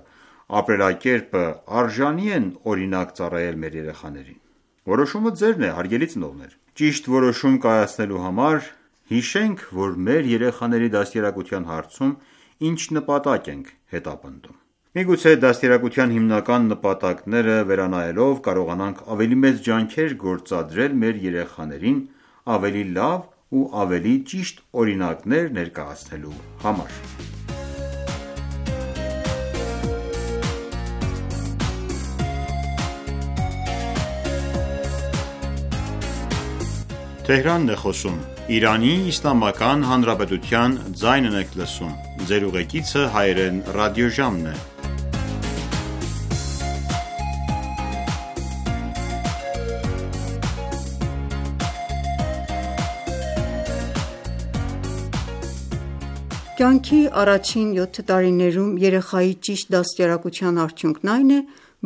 ապրելակերպը արժանի են օրինակ ծառայել մեր երեխաներին։ Որոշումը ձերն է, հարգելի ծնողներ։ Ճիշտ որոշում կայացնելու համար հիշենք, որ մեր երեխաների դաստիարակության հարցում ինչ նպատակ ենք հետապնդում։ Միգուցե դաստիարակության հիմնական նպատակները վերանայելով կարողանանք ավելի մեծ ջանքեր գործադրել մեր երեխաներին ավելի լավ ու ավելի ճիշտ օրինակներ ներկայացնելու համար։ Կյանքի առաջին յոթ տարիներում երեխայի ճիշտ դաստիարակության արդյունքն այն է,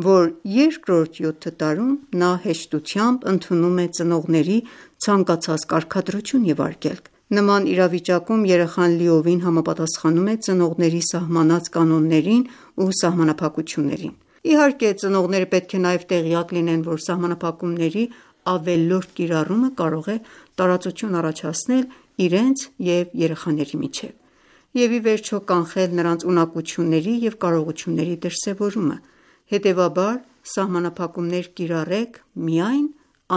որ երկրորդ յոթ տարում նա հեշտությամբ ընդունում է ծնողների ցանկացած կարգադրություն և արգելք։ Նման իրավիճակում երեխան լիովին համապատասխանում է ծնողների սահմանած կանոններին ու սահմանափակություններին։ Իհարկե, ծնողները պետք է նաև տեղյակ լինեն, որ սահմանափակումների ավելորդ կիրառումը կարող է տարածություն առաջացնել իրենց և երեխաների միջև և ի վերջո կանխել նրանց ունակությունների և կարողությունների դրսևորումը: Հետևաբար, սահմանափակումներ կիրառեք միայն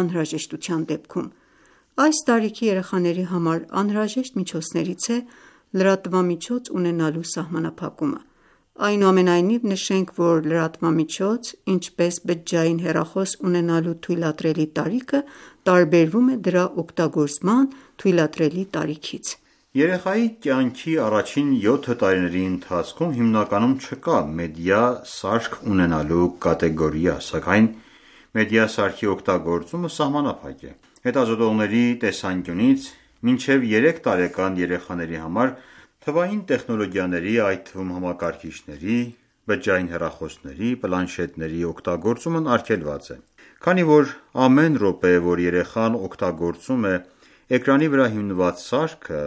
անհրաժեշտության դեպքում: Այս տարիքի երեխաների համար անհրաժեշտ միջոցներից է լրատվամիջոց ունենալու սահմանափակումը: Այնուամենայնիվ, նշենք, որ լրատվամիջոց, ինչպես բջջային հեռախոս ունենալու թույլատրելի տարիքը տարբերվում է դրա օգտագործման թույլատրելի տարիքից: Երեխայի կյանքի առաջին յոթ տարիների ընթացքում հիմնականում չկա մեդիա սարք ունենալու կատեգորիա, սակայն մեդիա սարքի օգտագործումը սահմանափակ է: Հետազոտողների տեսանկյունից, մինչև երեք տարեկան երեխաների համար թվային տեխնոլոգիաների, այդ թվում համակարգիչների, բջջային հեռախոսների, պլանշետների օգտագործումն արգելված է: Քանի որ ամեն րոպե, որ երեխան օգտագործում է էկրանի վրա հիմնված սարքը,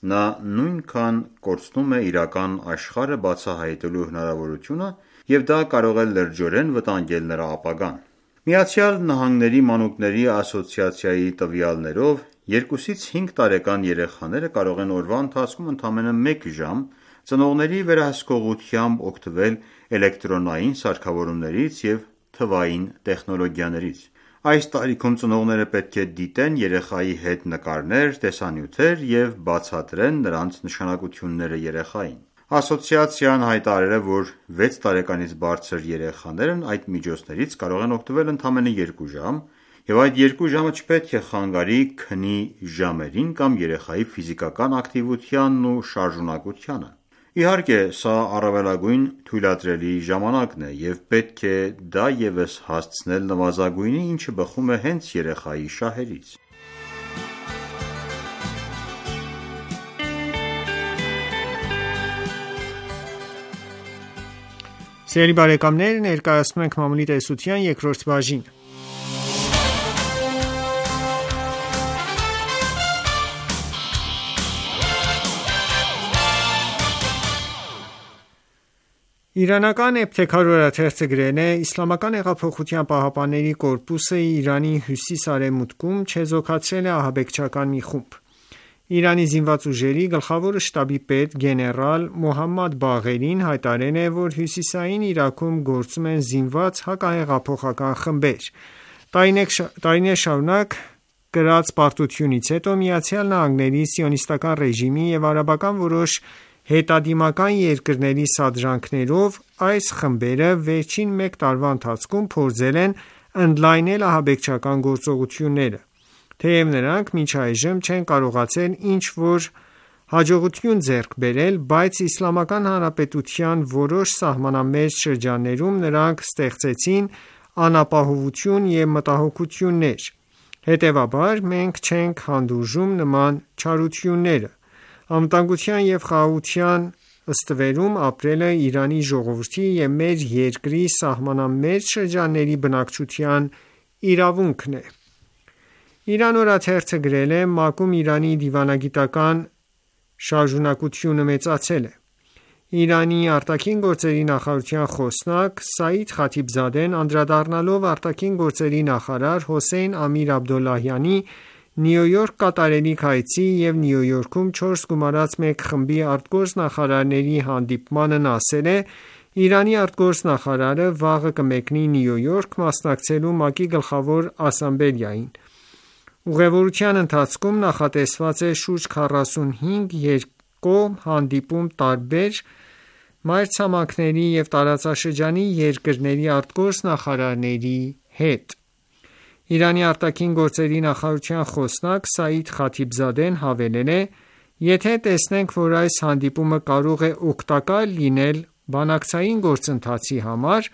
նա նույնքան կորցնում է իրական աշխարհը բացահայտելու հնարավորությունը և դա կարող է լրջորեն վտանգել նրա ապագան: ԱՄՆ մանուկների ասոցիացիայի տվյալներով, երկուսից հինգ տարեկան երեխաները կարող են օրվա ընթացքում ընդամենը մեկ ժամ ծնողների վերահսկողությամբ օգտվել էլեկտրոնային սարքավորումներից և թվային տեխնոլոգիաներից: Այս տարիքում ծնողները պետք է դիտեն երեխայի հետ նկարներ, տեսանյութեր և բացատրեն նրանց նշանակությունները երեխային: Ասոցիացիան հայտարարել է, որ վեց տարեկանից բարձր երեխաներն այդ միջոցներից կարող են օգտվել ընդամենը երկու ժամ և այդ երկու ժամը չպետք է խանգարի քնի ժամերին կամ երեխայի ֆիզիկական ակտիվությանն ու շարժունակությանը: Իհարկե, սա առավելագույն թույլատրելի ժամանակն է և պետք է դա ևս հասցնել նվազագույնի, ինչը բխում է հենց երեխայի շահերից: Ներկայացնում ենք մամուլի տեսության երկրորդ բաժինը: Իրանական «Էբթեքար» օրաթերթը գրել է. «Իսլամական հեղափոխության պահապանների կորպուսը Իրանի հյուսիս-արևմուտքում չեզոքացրել է ահաբեկչական մի խումբ: Իրանի զինված ուժերի գլխավոր շտաբի պետ գեներալ Մոհամմադ Բաղերին հայտարարել է, որ հյուսիսային Իրաքում գործում են զինված հակահեղափոխական խմբեր: Տարիներ շարունակ կրած պարտությունից հետո ԱՄՆ-ի սիոնիստական ռեժիմի և արաբական որոշ հետադիմական երկրների սադրանքներով այս խմբերը վերջին մեկ տարվա ընթացքում փորձել են ընդլայնել ահաբեկչական գործողությունները: Թեև նրանք մինչ այժմ չեն կարողացել ինչ-որ հաջողություն ձեռք բերել, բայց Իսլամական Հանրապետության որոշ սահմանամերձ շրջաններում նրանք ստեղծեցին անապահովություն և մտահոգություններ: Հետևաբար, մենք չենք հանդուրժում նման չարությունները: Անվտանգության և խաղաղության ստվերում ապրելը Իրանի ժողովրդի և մեր երկրի սահմանամերձ շրջանների բնակչության իրավունքն է»: Իրանական օրաթերթը գրել է. ՄԱԿ-ում Իրանի դիվանագիտական շարժունակությունը մեծացել է: Իրանի արտաքին գործերի նախարարության խոսնակ Սաիդ Խաթիբզադեն անդրադառնալով ԱԳ նախարար Հոսեյն Ամիր Աբդոլլահյանի Նյու Յորք կատարելիք այցի և Նյու Յորքում չորս գումարած մեկ խմբի արտգործնախարարների հանդիպմանն ասել է. «Իրանի արտգործնախարարը վաղը կմեկնի Նյու Յորք մասնակցելու ՄԱԿ-ի գլխավոր ասամբլեային: Ուղևորության ընթացքում նախատեսված է շուրջ քառասունհինգ երկկողմ հանդիպում տարբեր մայրցամաքների և տարածաշրջանի երկրների արտգործնախարարների հետ»: Իրանի արտաքին գործերի նախարարության խոսնակ Սաիդ Խաթիբզադեն հավելել է. «Եթե տեսնենք, որ այս հանդիպումը կարող է օգտակար լինել բանակցային գործընթացի համար,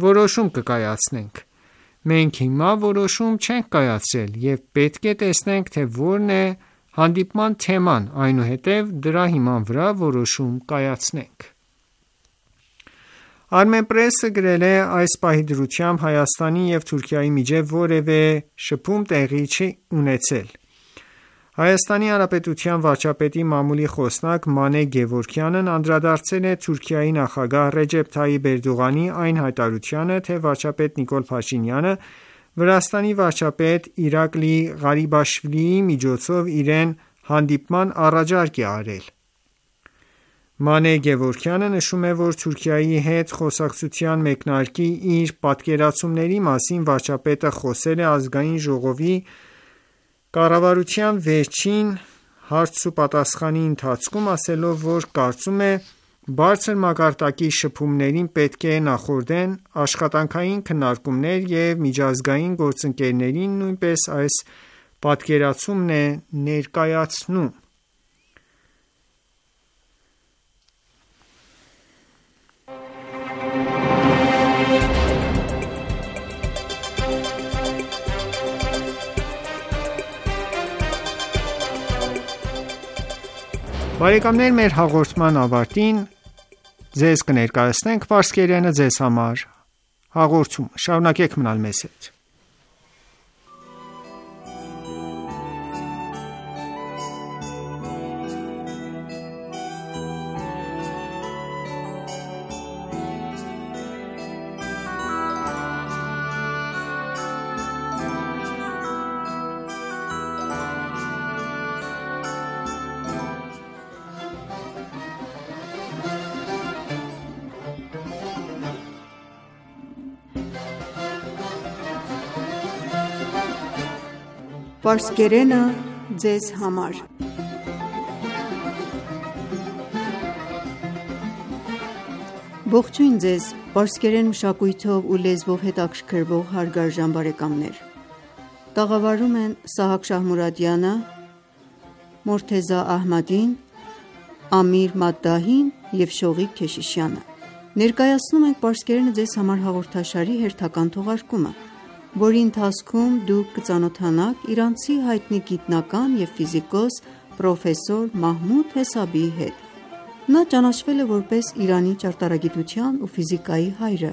որոշում կկայացնենք: Մենք հիմա որոշում չենք կայացրել և պետք է տեսնենք, թե որն է հանդիպման թեման, այնուհետև դրա հիման վրա որոշում կայացնենք»: Armenpress-ը գրել է. «Այս պահի դրությամբ Հայաստանի և Թուրքիայի միջև որևէ շփում տեղի չի ունեցել»: ՀՀ վարչապետի մամուլի խոսնակ Մանե Գևորգյանն անդրադարձել է Թուրքիայի նախագահ Ռեջեփ Թայիփ Էրդողանի այն հայտարարությանը, թե վարչապետ Նիկոլ Փաշինյանը Վրաստանի վարչապետ Իրակլի Ղարիբաշվիլիի միջոցով իրեն հանդիպման առաջարկ է արել։ Մանե Գևորգյանը նշում է, որ Թուրքիայի հետ խոսակցության մեկնարկի իր պատկերացումների մասին վարչապետը խոսել է ազգային ժողովի կառավարության վերջին հարցուպատասխանի ընթացքում, ասելով, որ կարծում է բարձր մակարդակի շփումներին պետք է նախորդեն աշխատանքային քննարկումներ և միջազգային գործընկերներին նույնպես այս պատկերացումն է ներկայացնում։ Բարեկամներ, մեր հաղորդման ավարտին ձեզ կներկայացնենք պարսկերենը ձեզ համար հաղորդում։ Շարունակեք մնալ մեզ հետ։ Պարսկերենը ձեզ համար։ Ողջույն ձեզ, պարսկերեն մշակույթով ու լեզվով հետաքրքրվող հարգարժան բարեկամներ։ Տաղավարում են Սահակ Շահմուրադյանը, Մորթեզա Ահմադին, Ամիր Մադդահին և Շողիկ Քեշիշյանը։ Ներկայացնում ենք պարսկերենը ձեզ համար հաղորդաշարի հերթական թողարկումը, որի ընթացքում դուք կծանոթանաք իրանցի հայտնի գիտնական և ֆիզիկոս պրոֆեսոր Մահմուդ Հեսաբիի հետ։ Նա ճանաչվել է որպես Իրանի ճարտարագիտության ու ֆիզիկայի հայրը։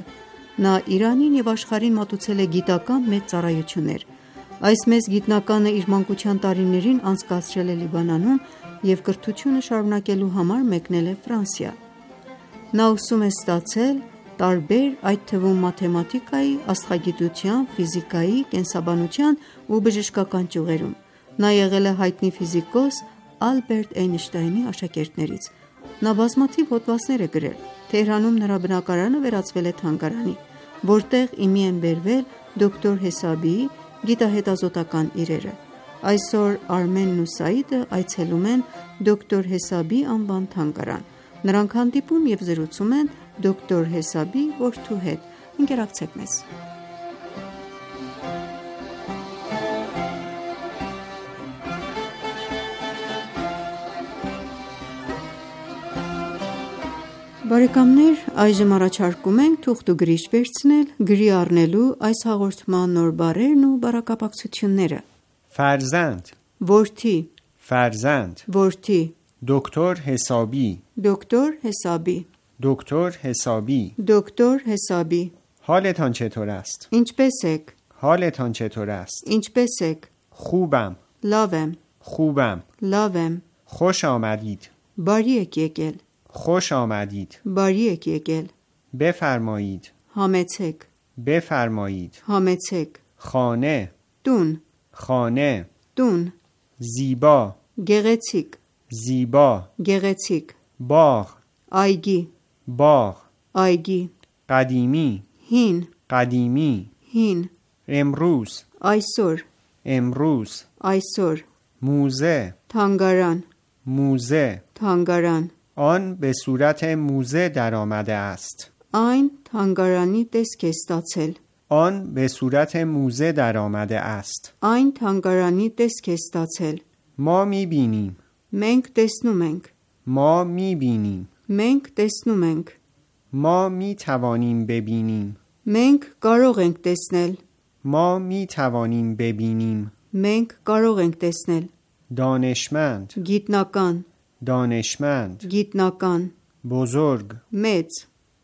Նա Իրանին և աշխարհին մատուցել է գիտական մեծ ծառայություններ։ Այս մեծ գիտնականը իր մանկության տարիներին անցկացրել է Լիբանանում և կրթությունը շարունակելու համար մեկնել է Ֆրանսիա։ Նա ուսում է ստացել տարբեր, այդ թվում մաթեմատիկայի, աստղագիտության, ֆիզիկայի, կենսաբանության ու բժշկական ճյուղերում։ Նա եղել է հայտնի ֆիզիկոս Ալբերտ Էյնշտայնի աշակերտներից։ Նա բազմաթիվ հոդվածներ է գրել։ Թեհրանում նրա բնակարանը վերածվել է թանգարանի, որտեղ իմի են բերվել դոկտոր Հեսաբիի գիտահետազոտական իրերը։ Այսօր Արմենն ու Սաիդը այցելում են դոկտոր Հեսաբի անվան թանգարան։ Նրանք հանդիպում և զրուցում են դոկտոր Հեսաբի որդու հետ։ Ընկերակցեք մեզ։ Բարեկամներ, այժմ առաջարկում ենք թուղթ ու գրիչ վերցնել գրի առնելու այս հաղորդման նոր բառերն ու բառակապակցությունները։ Ֆարզանդ որդի, Ֆարզանդ որդի, դոկտոր Հեսաբի, դոկտոր Հեսաբի, دکتر حسابی دکتر حسابی حالتان چطور است؟ ինչպես եք? حالتان چطور است؟ ինչպես եք? خوبم լավ եմ, خوبم լավ եմ, خوش آمدید բարի եք եկել, خوش آمدید բարի եք եկել, بفرمایید համեցեք, بفرمایید համեցեք, خانه տուն, خانه տուն, زیبا գեղեցիկ, زیبا գեղեցիկ, باغ այգի, باغ այգի, قدیمی հին, قدیمی հին, امروز այսօր, امروز այսօր, موزه թանգարան, موزه թանգարան, آن به صورت موزه در آمده است այն թանգարանի տեսք է ստացել, آن به صورت موزه در آمده است այն թանգարանի տեսք է ստացել, ما می‌بینیم մենք տեսնում ենք, ما می‌بینیم մենք տեսնում ենք, ما می‌توانیم ببینیم մենք կարող ենք տեսնել, ما می‌توانیم ببینیم մենք կարող ենք տեսնել, دانشمند գիտնական, دانشمند գիտնական, بزرگ մեծ,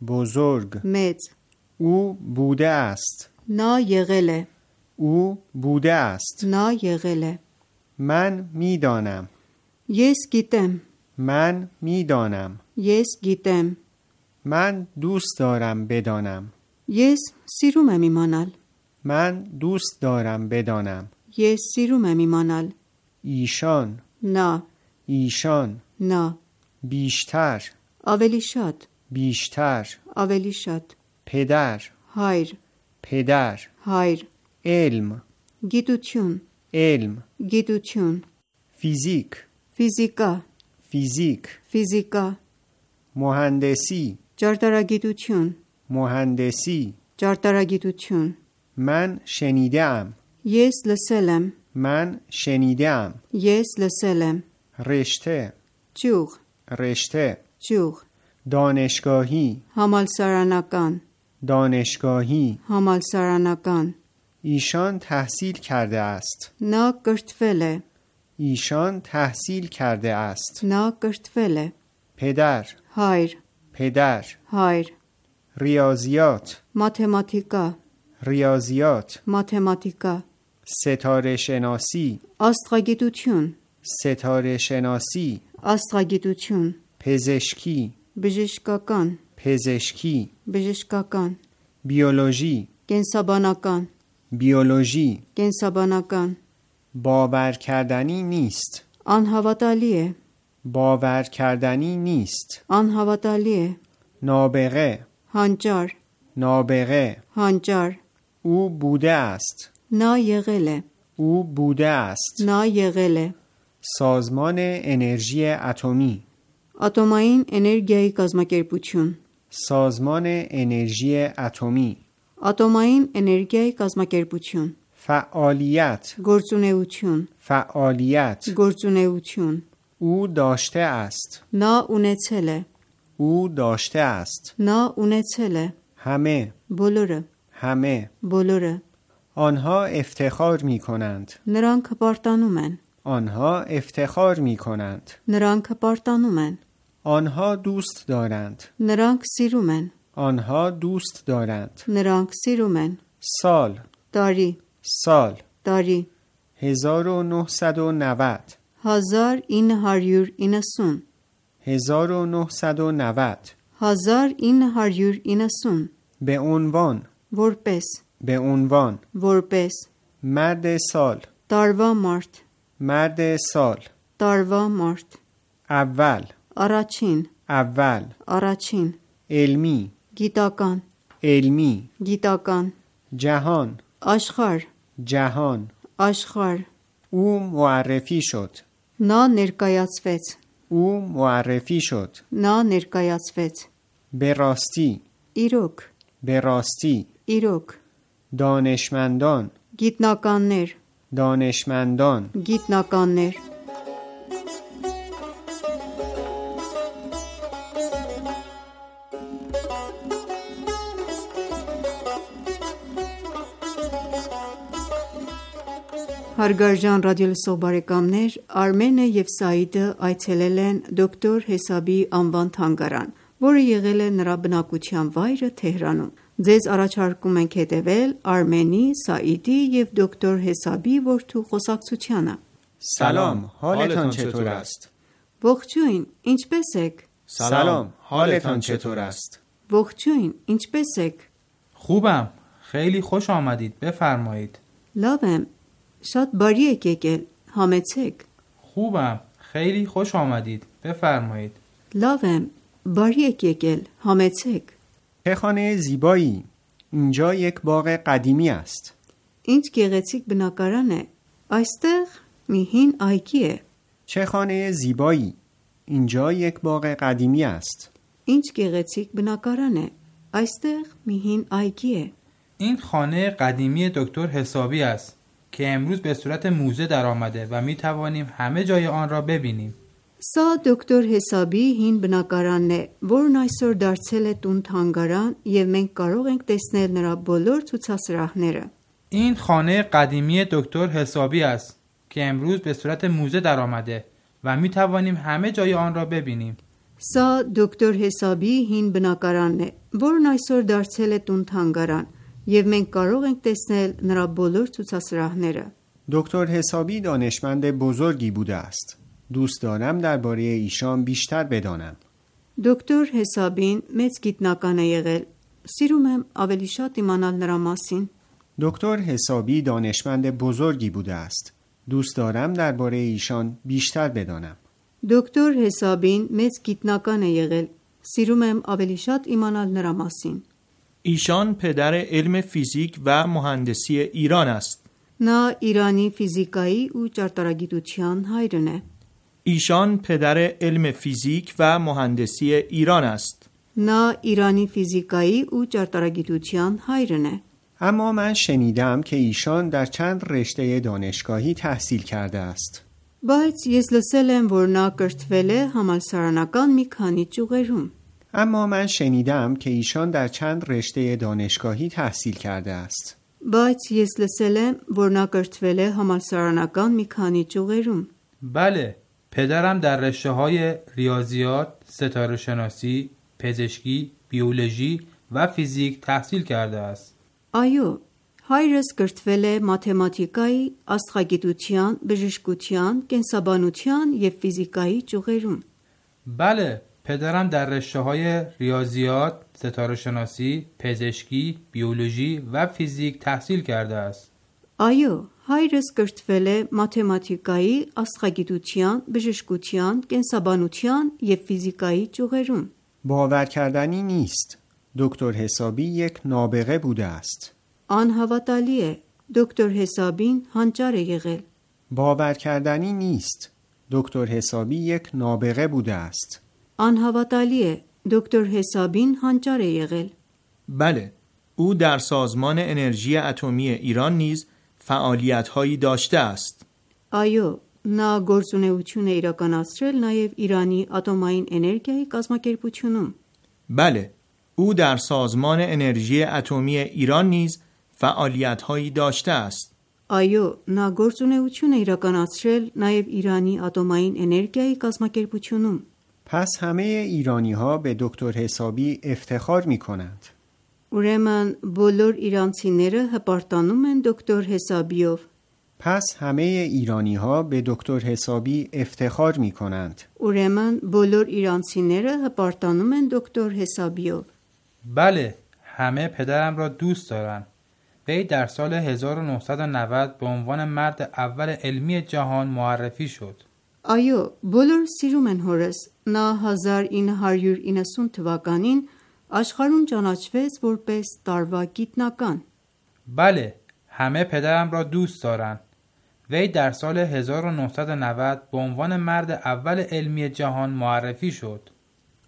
بزرگ մեծ, او بوده است նա եղել է, او بوده است նա եղել է, من می‌دانم ես գիտեմ, من می‌دانم ես گیتم من دوست دارم بدانم ես սիրում եմ իմանալ من دوست دارم بدانم. Ես սիրում եմ իմանալ. ایشان. Նա. ایشان. Նա. بیشتر. Ավելի շատ. بیشتر. Ավելի շատ. پدر. Հայր. پدر. Հայր. علم. Գիտություն. علم. Գիտություն. فیزیک. Ֆիզիկա. فیزیک. Ֆիզիկա. مهندسی. Ճարտարագիտություն. مهندسی. Ճարտարագիտություն. من شنیدم. Ես լսել եմ. من شنیدم. Ես լսել եմ. رشته. Ճյուղ. رشته. Ճյուղ. دانشگاهی. Համալսարանական. دانشگاهی. Համալսարանական. ایشان تحصیل کرده است. Նա կրթվել է. ایشان تحصیل کرده است. Նա کրթվել է. پدر. Հայր. پدر. Հայր. ریاضیات. Մաթեմատիկա. ریاضیات. Մաթեմատիկա. ستاره شناسی. Աստղագիտություն. ستاره شناسی. Աստղագիտություն. پزشکی. Բժշկական. پزشکی. Բժշկական. بیولوژی. Կենսաբանական. بیولوژی. Կենսաբանական. باور کردنی نیست. Անհավատալի է. باور کردنی نیست. Անհավատալի է. نابغه. Հանճար. نابغه. Հանճար. او بوده است. Նա եղել է. او بوده است. Նա եղել է. سازمان انرژی اتمی. Ատոմային էներգիայի կազմակերպություն. سازمان انرژی اتمی. Ատոմային էներգիայի կազմակերպություն. فعالیت. Գործունեություն. فعالیت. Գործունեություն. او داشته است. Նա ունեցել է. او داشته است. Նա ունեցել է. همه. Բոլորը. همه. Բոլորը. آنها افتخار می کنند. Նրանք հպարտանում են. آنها افتخار می کنند. Նրանք հպարտանում են. آنها دوست دارند. Նրանք սիրում են. آنها دوست دارند. Նրանք սիրում են. سال. Տարի. سال. Տարի. هزار و نهصد و نود. հազար ինը հարյուր իննսուն. هزار و نهصد و نود. հազար ինը հարյուր իննսուն. به عنوان. Որպես. به عنوان. Որպես. مرد سال. Տարվա մարդ. مرد سال. Տարվա մարդ. اول. Առաջին. اول. Առաջին. علمی. Գիտական. علمی. Գիտական. جهان. Աշխարհ. جهان. Աշխարհ. او معرفی شد. Նա ներկայացվեց. او معرفی شد. Նա ներկայացվեց. به راستی. Իրոք. به راستی. Իրոք. دانشمندان. Գիտնականներ. دانشمندان. Գիտնականներ. Հարգարժան ռադիոլսող բարեկամներ, Արմենը և Սաիդը այցելել են դոկտոր Հեսաբի անվան թանգարան, որը եղել է նրա բնակության վայրը Թեհրանում։ Ձեզ առաջարկում ենք հետևել Արմենի, Սաիդի և դոկտոր Հեսաբի որդու խոսակցությանը։ سلام، حالتان چطور است؟ Ողջույն, ինչպե՞ս եք։ سلام، حالتان چطور است؟ Ողջույն, ինչպե՞ս եք։ خوبم، خیلی خوش آمدید، بفرمایید. Լավ եմ, շատ բարի եք եկել, համեցեք։ خوبم، خیلی خوش آمدید، بفرمایید. Լավ եմ, բարի եք եկել, համեցեք։ چه خانه زیبایی! اینجا یک باغ قدیمی است. Ինչ գեղեցիկ բնակարան է։ Այստեղ մի հին այգի է։ چه خانه زیبایی! اینجا یک باغ قدیمی است. Ինչ գեղեցիկ բնակարան է։ Այստեղ մի հին այգի է։ این خانه قدیمی دکتر حسابی است که امروز به صورت موزه در آمده و می توانیم همه جای آن را ببینیم. Սա դոկտոր Հեսաբի հին բնակարանն է, որն այսօր դարձել է տուն թանգարան և մենք կարող ենք տեսնել նրա բոլոր ցուցասրահները։ این خانه قدیمی دکتر حسابی است که امروز به صورت موزه در آمده و می توانیم همه جای آن را ببینیم. Սա դոկտոր Հեսաբի հին բնակարանն է, որն այսօր դարձել է տուն թանգարան և մենք կարող ենք տեսնել նրա բոլոր ցուցասրահները։ دکتر حسابی دانشمند بزرگی بوده است. دوست دارم درباره ایشان بیشتر بدانم. Դոկտոր Հեսաբին մեծ գիտնական է եղել։ Սիրում եմ ավելի շատ իմանալ նրա մասին։ دکتر حسابی دانشمند بزرگی بوده است. دوست دارم درباره ایشان بیشتر بدانم. Դոկտոր Հեսաբին մեծ գիտնական է եղել։ Սիրում եմ ավելի շատ իմանալ նրա մասին։ ایشان پدر علم فیزیک و مهندسی ایران است. Նա Իրանի ֆիզիկայի ու ճարտարագիտության հայրն է։ ایشان پدر علم فیزیک و مهندسی ایران است. Նա Իրանի ֆիզիկայի ու ճարտարագիտության հայրն է։ اما من شنیدم که ایشان در چند رشته دانشگاهی تحصیل کرده است. Բայց ես լսել եմ, որ նա կրթվել է համալսարանական մի քանի ճյուղերում։ اما من شنیدم که ایشان در چند رشته دانشگاهی تحصیل کرده است. Բայց ես լսել եմ, որ նա կրթվել է համալսարանական մի քանի ճյուղերում։ بله، پدرم در رشته‌های ریاضیات، ستاره شناسی، پزشکی، بیولوژی و فیزیک تحصیل کرده است. Այո, հայրս կրթվել է մաթեմատիկայի, աստղագիտության, բժշկության, կենսաբանության և ֆիզիկայի ճյուղերում։ بله، پدرم در رشته‌های ریاضیات، ستاره شناسی، پزشکی، بیولوژی و فیزیک تحصیل کرده است. Այո, հայրս կրթվել է մաթեմատիկայի, աստղագիտության, բժշկության, կենսաբանության և ֆիզիկայի ճյուղերում։ باور کردنی نیست. دکتر حسابی یک نابغه بوده است. Անհավատալի է, դոկտոր Հեսաբին հանճար է եղել։ باور کردنی نیست. دکتر حسابی یک نابغه بوده است. Անհավատալի է, դոկտոր Հեսաբին հանճար է եղել։ بله، او در سازمان انرژی اتمی ایران نیز فعالیت‌هایی داشته است. Այո, նա գործունեություն է իրականացրել նաև Իրանի ատոմային էներգիայի կազմակերպությունում։ بله، او در سازمان انرژی اتمی ایران نیز فعالیت‌هایی داشته است. Այո, նա գործունեություն է իրականացրել նաև Իրանի ատոմային էներգիայի կազմակերպությունում։ پس همه ایرانی ها به دکتر حسابی افتخار می کنند. Ուրեմն բոլոր իրանցիները հպարտանում են դոկտոր Հեսաբիով։ پس همه ایرانی ها به دکتر حسابی افتخار می کنند. Ուրեմն բոլոր իրանցիները հպարտանում են դոկտոր Հեսաբիով։ بله، همه پدرم را دوست دارند. وی در سال هزار و نهصد و نود به عنوان مرد اول علمی جهان معرفی شد. Այո, բոլորը սիրում են հորս։ Նա հազար ինը հարյուր իննսուն թվականին աշխարհում ճանաչվեց որպես տարվա գիտնական։ بله، همه پدرم را دوست دارند. وی در سال هزار و نهصد و نود به عنوان مرد اول علمی جهان معرفی شد.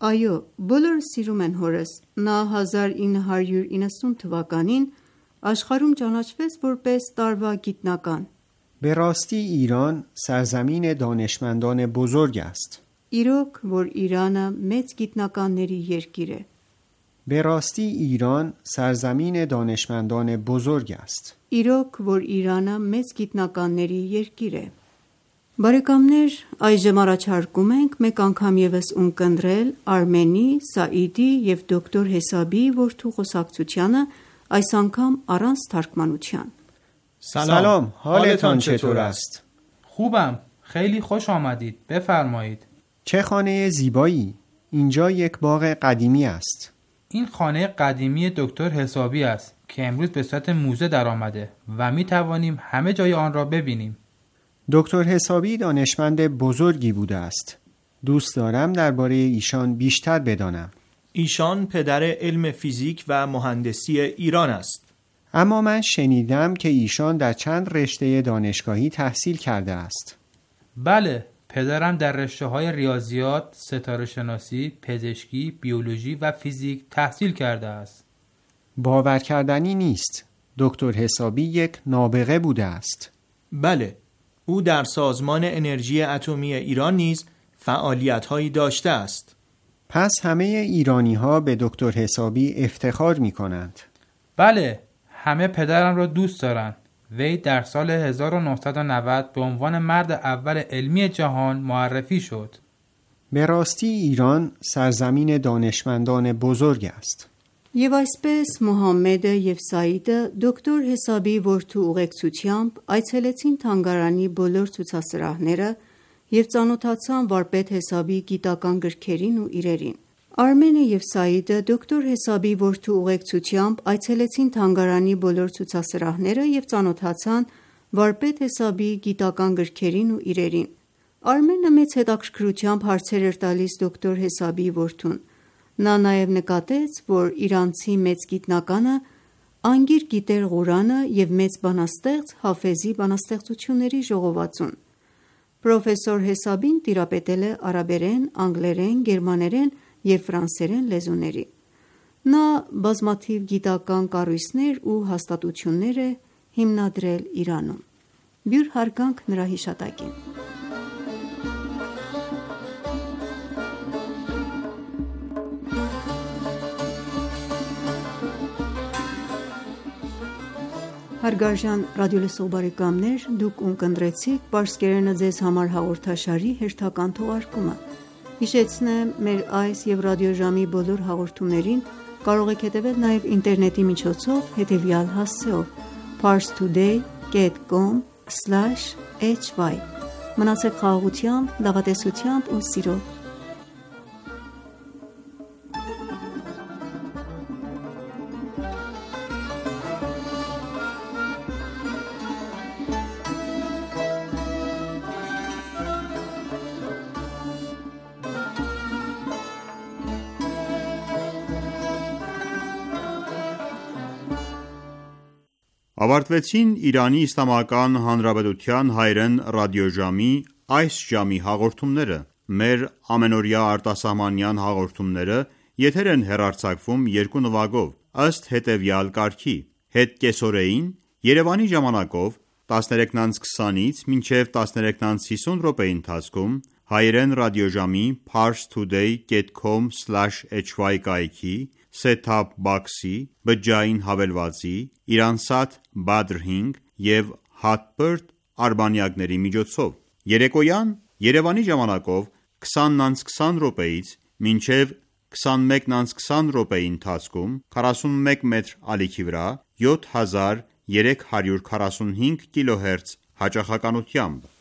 Այո, բոլորը սիրում են հորս։ Նա հազար ինը հարյուր իննսուն թվականին աշխարհում ճանաչվեց որպես տարվա գիտնական։ به راستی ایران سرزمین دانشمندان بزرگ است. Իրոք, որ Իրանը մեծ գիտնականների երկիր է։ به راستی ایران سرزمین دانشمندان بزرگ است. Իրոք, որ Իրանը մեծ գիտնականների երկիր է։ Բարեկամներ, այժմ առաջարկում ենք մեկ անգամ եւս ունկնդրել Արմենի, Սաիդի եւ դոկտոր Հեսաբի որդու խոսակցությանը, այս անգամ առանց թարգմանության։ سلام، حالتان چطور است؟ خوبم، خیلی خوش آمدید. بفرمایید. چه خانه زیبایی. اینجا یک باغ قدیمی است. این خانه قدیمی دکتر حسابی است که امروز به صورت موزه در آمده و می توانیم همه جای آن را ببینیم. دکتر حسابی دانشمند بزرگی بوده است. دوست دارم درباره ایشان بیشتر بدانم. ایشان پدر علم فیزیک و مهندسی ایران است. اما من شنیدم که ایشان در چند رشته دانشگاهی تحصیل کرده است. بله، پدرم در رشته‌های ریاضیات، ستاره شناسی، پزشکی، بیولوژی و فیزیک تحصیل کرده است. باور کردنی نیست. دکتر حسابی یک نابغه بوده است. بله، او در سازمان انرژی اتمی ایران نیز فعالیت‌هایی داشته است. پس همه ایرانی ها به دکتر حسابی افتخار می کنند. بله، همه پدرم را دوست دارند. وی در سال هزار و نهصد و نود به عنوان مرد اول علمی جهان معرفی شد. به راستی ایران سرزمین دانشمندان بزرگ است. Եվ այսպես Մուհամմեդը եւ Սաիդը դոկտոր Հեսաբի որդու ուղեկցությամբ այցելեցին թանգարանի բոլոր ցուցասրահները եւ ծանոթացան վարպետ Հեսաբի գիտական գրքերին ու իրերին։ Արմենը և Սաիդը դոկտոր Հեսաբի որդու ուղեկցությամբ այցելեցին թանգարանի բոլոր ցուցասրահները և ծանոթացան վարպետ Հեսաբի գիտական գրքերին ու իրերին։ Արմենը մեծ հետաքրքրությամբ հարցեր էր տալիս դոկտոր Հեսաբի որդուն։ Նա նաև նկատեց, որ իրանցի մեծ գիտնականը անգիր գիտեր Ղուրանը և մեծ բանաստեղծ Հաֆեզի բանաստեղծությունների ժողովածուն։ Պրոֆեսոր Հեսաբին տիրապետել է արաբերեն, անգլերեն, գերմաներեն և ֆրանսերեն լեզուների։ Նա բազմաթիվ գիտական կառույցներ ու հաստատություններ է հիմնադրել Իրանում։ Բյուր հարգանք նրա հիշատակին։ Հարգարժան ռադիոլսող բարեկամներ, դուք ունկնդրեցիք «Պարսկերենը ձեզ համար» հաղորդաշարի հերթական թողարկումը։ Հիշեցնեմ, մեր այս և ռադիոժամի բոլոր հաղորդումներին կարող եք հետևել նաև ինտերնետի միջոցով հետևյալ հասցեով՝ parstoday dot com slash h y։ Մնացեք խաղաղությամբ, լավատեսությամբ ու սիրով։ Ավարտվեցին Իրանի Իսլամական Հանրապետության հայրեն ռադիոժամի այս ժամի հաղորդումները։ Մեր ամենօրյա արտասահմանյան հաղորդումները եթեր են հեռարձակվում երկու նվագով, ըստ հետևյալ կարգի. Հետ կեսօրեին Երևանի ժամանակով տասներեքից քսանից մինչև տասներեքից հիսուն րոպեի ընթացքում հայերեն ռադիոժամի parstoday dot com slash h y կայքի set-top box-ի, բջջային հավելվածի, Իրանսատ Badr հինգ և Hotbird արբանյակների միջոցով։ Երեկոյան Երևանի ժամանակով քսանից քսան րոպեից մինչև քսանմեկից քսան րոպեի ընթացքում քառասունմեկ մետր ալիքի վրա յոթ հազար երեք հարյուր քառասունհինգ կիլոհերց հաճախականությամբ